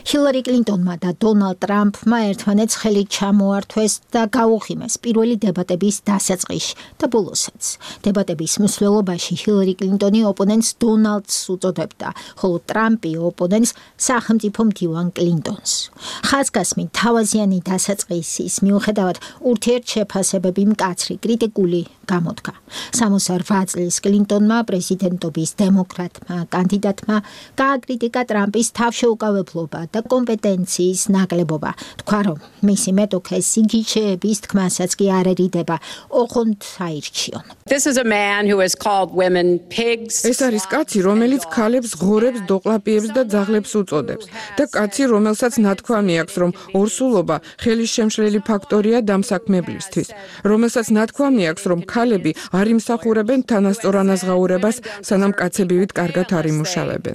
ჰილარი კლინტონმა და დონალდ ტრამპმა ერთმანეთს ხელი ჩამოართვეს და გაუღიმეს პირველი დებატების დასაწყისში და ბოლოსაც. დებატების მსვლელობაში ჰილარი კლინტონი ოპონენტს დონალდს უწოდებდა, ხოლო ტრამპი ოპონენტს სახელმწიფო მდივან კლინტონს. ხაზგასმით თავაზიანი დასაწყისის მიუხედავად ურთიერთშეფასებები მკაცრი კრიტიკული გამოდგა. სამოცდაოთხ წლის კლინტონმა პრეზიდენტობის დემოკრატმა კანდიდატმა გააკრიტიკა ტრამპის თავშეუკავებლობა და კომპეტენციის ნაკლებობა. თქვა, რომ მისი მეტოქე სიგიჩეების თქმასაც კი არ ერიდება, ოღონდ აირჩიონ. ეს არის კაცი, რომელიც ქალებს ღორებს, დოყლაპიებს და ძაღლებს უწოდებს და კაცი, რომელსაც ნათქვამი აქვს, რომ ორსულობა ხელის შემშლელი ფაქტორია დამსაქმებლისთვის, რომელსაც ნათქვამი აქვს, რომ ქალები არ იმსახურებენ თანასწორ ანაზღაურებას, სანამ კაცები ვით კარგად არ იმუშავებენ.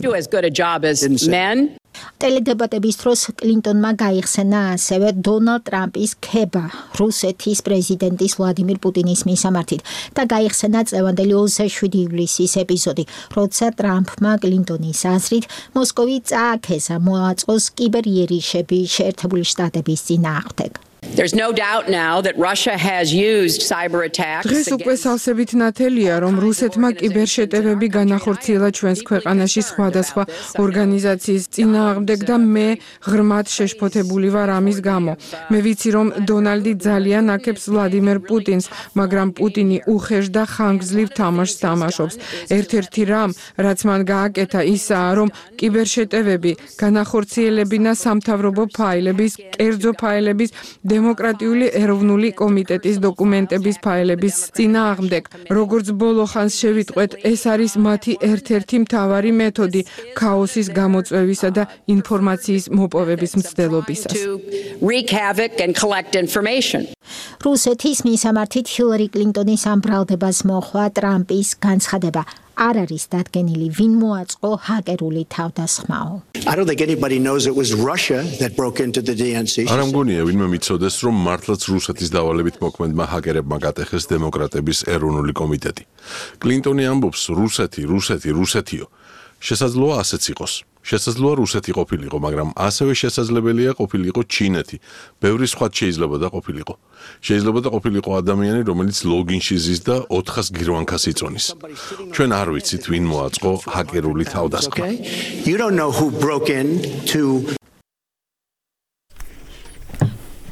ტელედებატების დროს კლინტონმა გაიხსენა ასევე დონალდ ტრამპის ქება რუსეთის პრეზიდენტის ვლადიმირ პუტინის მისამართით და გაიხსენა წლევანდელი ოცდაშვიდი ივლისის ეპიზოდი, როცა ტრამპმა კლინტონის აზრით მოსკოვი წააქეზა მოაწყოს კიბერიერიშები შეერთებული შტატების წინააღმდეგ. There's no doubt now that Russia has used cyber attacks. დღეს უკვე სავსებით ნათელია, რომ რუსეთმა კიბერშეტევები განახორციელა ჩვენს ქვეყანაში სხვადასხვა ორგანიზაციის წინააღმდეგ და მე ღრმად შეშფოთებული ვარ ამის გამო. მე ვიცი, რომ დონალდი ძალიან აქებს ვლადიმერ პუტინს, მაგრამ პუტინი უხეშ და ხანგრძლივ თამაშს თამაშობს. ერთ-ერთი რამ, რაც მან გააკეთა, ისაა, რომ კიბერშეტევები განახორციელებინა სამთავრობო ფაილების, კერძო ფაილების დემოკრატიული ეროვნული კომიტეტის დოკუმენტების ფაილების წინააღმდეგ. როგორც ბოლო ხანს შევიტყვეთ, ეს არის მათი ერთ-ერთი მთავარი მეთოდი ქაოსის გამოწვევისა და ინფორმაციის მოპოვების მცდელობისას. რუსეთის მისამართით ჰილარი კლინტონის ამ ბრალდებას მოჰყვა ტრამპის განცხადება. არ არის დადგენილი, ვინ მოაწყო ჰაკერული თავდასხმაო. არ ამგონია ვინმე მიცოდეს, რომ მართლაც რუსეთის დავალებით მოქმედმა ჰაკერებმა გატეხეს დემოკრატების ეროვნული კომიტეტი. კლინტონი ამბობს რუსეთი, რუსეთი, რუსეთიო. შესაძლოა ასეც იყოს. შესაძლოა რუსეთი ყოფილიყო, მაგრამ ასევე შესაძლებელია ყოფილიყო ჩინეთი. ბევრი სხვაც შეიძლება და ყოფილიყო. შეიძლება და ყოფილიყო ადამიანი, რომელიც ლოგინში ზის და ოთხას გირვანქას იწონის. ჩვენ არ ვიცით, ვინ მოაწყო ჰაკერული თავდასხმა.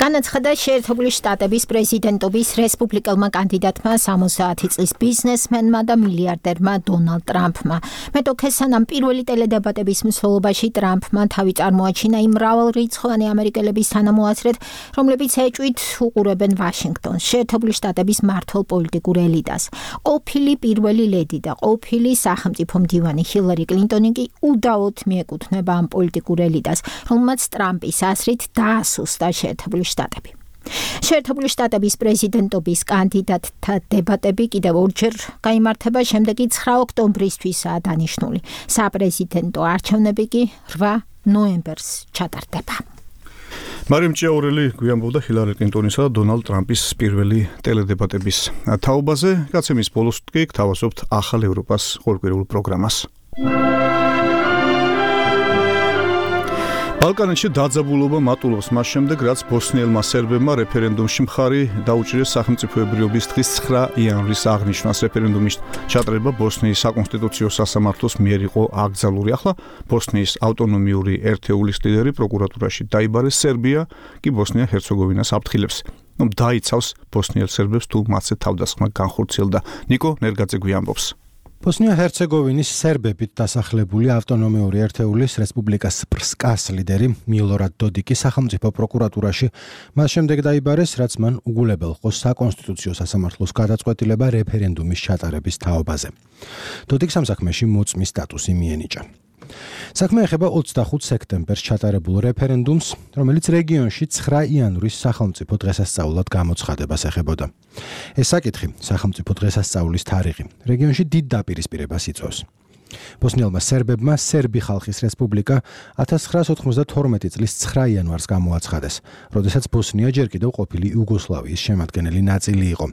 განაცხადა შეერთებული შტატების პრეზიდენტობის რესპუბლიკელმა კანდიდატმა სამოცდაათი წლის ბიზნესმენმა და მილიარდერმა დონალდ ტრამპმა. მეტოქე სანამ პირველი ტელედებატების მსვლელობაში ტრამპმა თავი წარმოაჩინა იმ მრავალრიცხოვანი ამერიკელების თანამოაზრეთ, რომლებიც ეჭვით უყურებენ ვაშინგტონს, შეერთებული შტატების მმართველ პოლიტიკურ ელიტას. ყოფილი პირველი ლედი და ყოფილი სახელმწიფო მდივანი ჰილარი კლინტონი კი უდაოდ მიეკუთვნება ამ პოლიტიკურ ელიტას, რომელმაც ტრამპის აზრით დაასუსტა შეერთებული შტატები. შეერთებული შტატების პრეზიდენტობის კანდიდატთა დებატები კიდევ ორჯერ გაიმართება, შემდეგი ცხრა ოქტომბრისთვისაა დანიშნული. საპრეზიდენტო არჩევნები კი რვა ნოემბერს ჩატარდება. მარიამ ჭეაურელი გვიამბობდა ჰილარი კლინტონისა და დონალდ ტრამპის პირველი ტელედებატების თაობაზე. გაცემის ბოლოს კი გთავაზობთ ახალ ევროპას ყოველკვირეულ პროგრამას. ბალკანეთში დაძაბულობა მატულობს მას შემდეგ, რაც ბოსნიელმა სერბებმა რეფერენდუმში მხარი დაუჭირეს სახელმწიფოებრიობის დღის ცხრა იანვრის აღნიშვნას. რეფერენდუმის ჩატარება ბოსნიის საკონსტიტუციო სასამართლოს მიერ იყო აკრძალული. ახლა ბოსნიის ავტონომიური ერთეულის ლიდერი პროკურატურაში დაიბარეს, სერბია კი ბოსნია-ჰერცეგოვინას აფრთხილებს. ნუ დაიცავს ბოსნიელ სერბებს თუ მათზე თავდასხმა განხორციელდა. ნიკო ნერგაძე გვიამბობს. ბოსნია-ჰერცეგოვინის სერბებით დასახლებული ავტონომიური ერთეულის რესპუბლიკას სპრსკას ლიდერი მილორად დოდიკი სახელმწიფო პროკურატურაში მას შემდეგ დაიბარეს, რაც მან უგულებელ ყო საკონსტიტუციო სასამართლოს გადაწყვეტილება რეფერენდუმის ჩატარების თაობაზე. დოდიკს ამ საქმეში მოწმის სტატუსი მიენიჭა. საქმე ეხება ოცდახუთ სექტემბერს ჩატარებულ რეფერენდუმს, რომელიც რეგიონში ცხრა იანვრის სახელმწიფო დღესასწაულად გამოცხადებას ეხებოდა. ეს საკითხი, სახელმწიფო დღესასწაულის თარიღი, რეგიონში დიდ დაპირისპირებას იწვევს. ბოსნიელმა სერბებმა სერბი ხალხის რესპუბლიკა ათას ცხრაას ოთხმოცდათორმეტი წლის ცხრა იანვარს გამოაცხადეს, როდესაც ბოსნია ჯერ კიდევ ყოფილი იუგოსლავიის შემადგენელი ნაწილი იყო.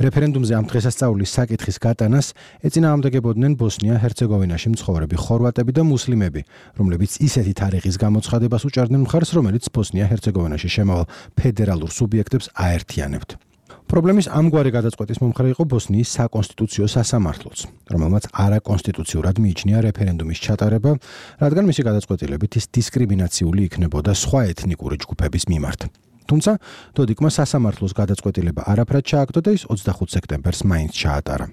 რეფერენდუმზე ამ დღესასწაულის საკითხის გატანას ეწინააღმდეგებოდნენ ბოსნია-ჰერცეგოვინაში მცხოვრები ხორვატები და მუსლიმები, რომლებიც ისეთი თარიღის გამოცხადებას უჭერდნენ მხარს, რომელიც ბოსნია-ჰერცეგოვინაში შემავალ ფედერალურ სუბიექტებს აერთიანებთ. პრობლემის ამგვარი გადაწყვეტის მომხრე იყო ბოსნიის საკონსტიტუციო სასამართლოც, რომელმაც არაკონსტიტუციურად მიიჩნია რეფერენდუმის ჩატარება, რადგან მისი გადაწყვეტილებით ის დისკრიმინაციული იქნებოდა სხვა ეთნიკური ჯგუფების მიმართ. თუმცა დოდიკმა სასამართლოს გადაწყვეტილება არაფრად ჩააგდო და ის ოცდახუთ სექტემბერს მაინც ჩაატარა.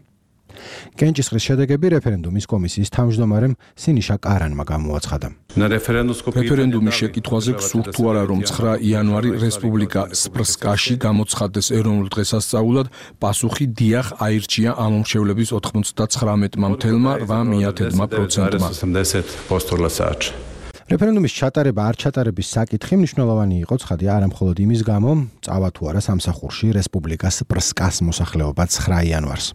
კენჭისყრის შედეგები რეფერენდუმის კომისიის თავმჯდომარემ სინიშა კარანმა გამოაცხადა. რეფერენდუმის შეკითხვაზე გსურთ თუ არა, რომ ცხრა იანვარი რესპუბლიკა სპრსკაში გამოცხადდეს ეროვნულ დღესასწაულად, პასუხი დიახ აირჩია ამომრჩევლების ოთხმოცდაცხრამეტმა მთელმა რვა მიათედმა პროცენტმა. რეფერენდუმის ჩატარება არ ჩატარების საკითხი მნიშვნელოვანი იყო ცხადია არა მხოლოდ იმის გამო, წავა თუ არა სამსახურში რესპუბლიკას სპრსკას მოსახლეობა ცხრა იანვარს.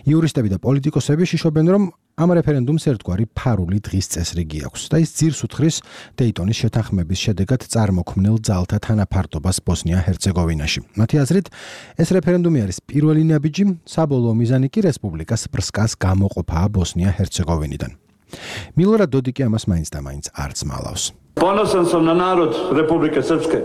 იურისტები და პოლიტიკოსები შიშობენ, რომ ამ რეფერენდუმს ერთგვარი ფარული დღის წესრიგი აქვს და ის ძირს უთხრის დეიტონის შეთანხმების შედეგად წარმოქმნილ ძალთა თანაფარდობას ბოსნია-ჰერცეგოვინაში. მათი აზრით, ეს რეფერენდუმი არის პირველი ნაბიჯი, საბოლოო მიზანი კი რესპუბლიკას სპრსკას გამოყოფაა ბოსნია-ჰერცეგოვინიდან. მილორად დოდიკი ამას მაინც და მაინც არც მალავს. Ponosan sam na narod Republike Srpske.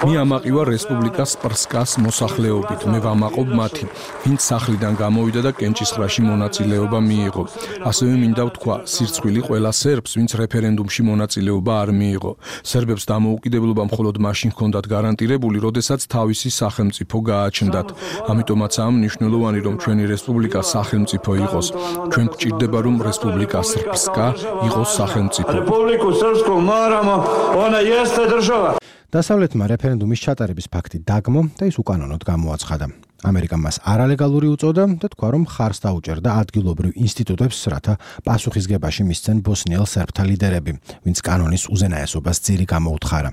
მე ამაყივა რესპუბლიკას სპრსკას მოსახლეობით, მე ვამაყობ მათი, ვინც სახლიდან გამოვიდა და კენჭისყრაში მონაწილეობა მიიღო. ასევე მინდა ვთქვა, სირცხვილი ყველა სერბს, ვინც რეფერენდუმში მონაწილეობა არ მიიღო. სერბებს დამოუკიდებლობა მხოლოდ მაშინ ჰქონდათ გარანტირებული, როდესაც თავისი სახელმწიფო გააჩნდათ. ამიტომაცაა მნიშვნელოვანი, რომ ჩვენი რესპუბლიკა სახელმწიფო იყოს. ჩვენ გვჭირდება, რომ რესპუბლიკა სრბსკა იყოს სახელმწიფო. Republiku Srpsku moramo, ona jeste država. დასავლეთმა რეფერენდუმის ჩატარების ფაქტი დაგმო და ის უკანონოდ გამოაცხადა. ამერიკამ მას არალეგალური უწოდა და თქვა, რომ ხარს დაუჭერდა ადგილობრივ ინსტიტუტებს, რათა პასუხისგებაში მისცენ ბოსნიელ სერბთა ლიდერები, ვინც კანონის უზენაესობას ძირი გამოუთხარა.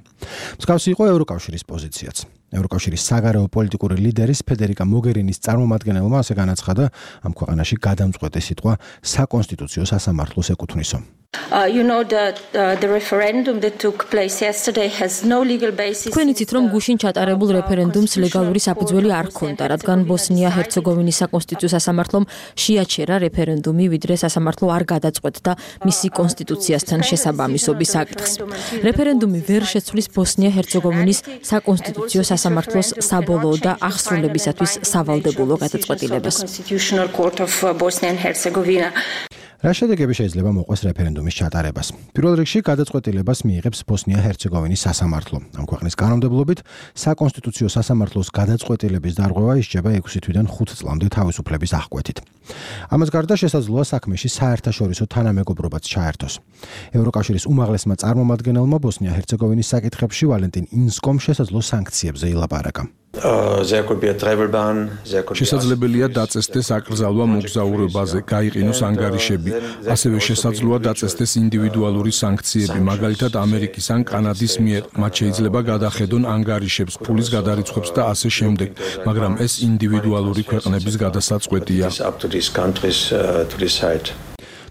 მსგავსი იყო ევროკავშირის პოზიციაც. ევროკავშირის საგარეო პოლიტიკური ლიდერის ფედერიკა მოგერინის წარმომადგენელმა ასე განაცხადა, ამ ქვეყანაში გადამწყვეტი სიტყვა საკონსტიტუციო სასამართლოს ეკუთვნისო. Uh, you know that uh, the referendum that took place yesterday has no legal basis. თქვენ იცით, რომ გუშინ ჩატარებულ რეფერენდუმს ლეგალური საფუძველი არ ჰქონდა, რადგან ბოსნია-ჰერცეგოვინის საკონსტიტუციო სასამართლომ შეაჩერა რეფერენდუმი, ვიდრე სასამართლო არ გადაწყვეტდა მისი კონსტიტუციასთან შესაბამისობის საკითხს. რეფერენდუმი ვერ შეცვლის ბოსნია-ჰერცეგოვინის საკონსტიტუციო სასამართლოს საბოლოო და აღსრულებისათვის სავალდებულო გადაწყვეტილებას. რა შედეგები შეიძლება მოყვეს რეფერენდუმის ჩატარებას? პირველ რიგში გადაწყვეტილებას მიიღებს ბოსნია-ჰერცეგოვინის სასამართლო. ამ ქვეყნის კანონმდებლობით საკონსტიტუციო სასამართლოს გადაწყვეტილების დარღვევა ისჯება ექვსი თვიდან ხუთ წლამდე თავისუფლების აღკვეთით. ამას გარდა შესაძლოა საქმეში საერთაშორისო თანამეგობრობაც ჩაერთოს. ევროკავშირის უმაღლესმა წარმომადგენელმა ბოსნია-ჰერცეგოვინის საკითხებში ვალენტინ ინსკომ შესაძლო სანქციებზე ილაპარაკა. შესაძლებელია დაწესდეს აკრძალვა მოგზაურობაზე, გაიყინოს ანგარიშები. ასევე შესაძლოა დაწესდეს ინდივიდუალური სანქციები, მაგალითად ამერიკის ან კანადის მიერ. მათ შეიძლება გადახედონ ანგარიშებს, ფულის გადარიცხვებს და ასე შემდეგ, მაგრამ ეს ინდივიდუალური ქვეყნების გადასაწყვეტია.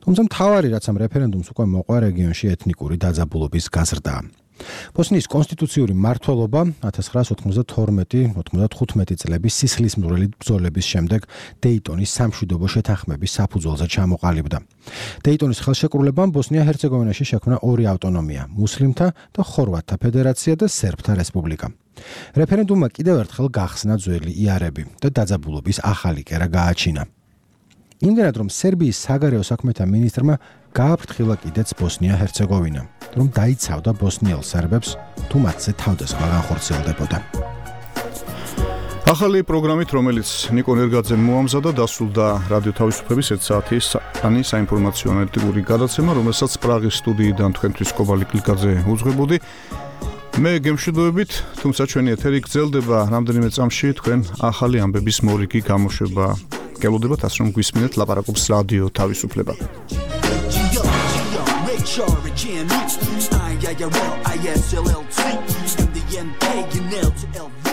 თუმცა მთავარი რაც ამ რეფერენდუმს უკვე მოყვა რეგიონში ეთნიკური დაძაბულობის გაზრდა. ბოსნიის კონსტიტუციური მმართველობა ათას ცხრაასი ოთხმოცდათორმეტი ოთხმოცდახუთმეტი წლების სისხლისმღვრელი ბრძოლების შემდეგ დეიტონის სამშვიდობო შეთანხმების საფუძველზე ჩამოყალიბდა. დეიტონის ხელშეკრულებამ ბოსნია-ჰერცეგოვინაში შექმნა ორი ავტონომია: მუსლიმთა და ხორვატთა ფედერაცია და სერბთა რესპუბლიკა. რეფერენდუმმა კიდევ ერთხელ გახსნა ძველი იარები და დაძაბულობის ახალი კერა გააჩინა. იმდენად რომ სერბიის საგარეო საქმეთა მინისტრმა გააფრთხილა კიდეც ბოსნია-ჰერცეგოვინა, რომ დაიცავდა ბოსნიელ სერბებს თუ მათზე თავდასხმა განხორციელდებოდა. ახალი პროგრამით, რომელიც ნიკო ნერგაძემ მოამზადა, დასრულდა რადიო თავისუფლების ერთ საათის ani საინფორმაციო ანალიტიკური გადაცემა, რომელსაც პრაღის სტუდიიდან თქვენთვის კობალი კლიკაძე უძღვებოდი. მე გემშვიდობებით, თუმცა ჩვენი ეთერი გრძელდება რამდენიმე წამში თქვენ ახალი ამბების მორიგი გამოშვება. გელოდებათ ასე რომ გვისმინეთ ლაპარაკობს რადიო თავისუფლება. I, I, I, well, I S L L T, M D N K, you nailed to L V.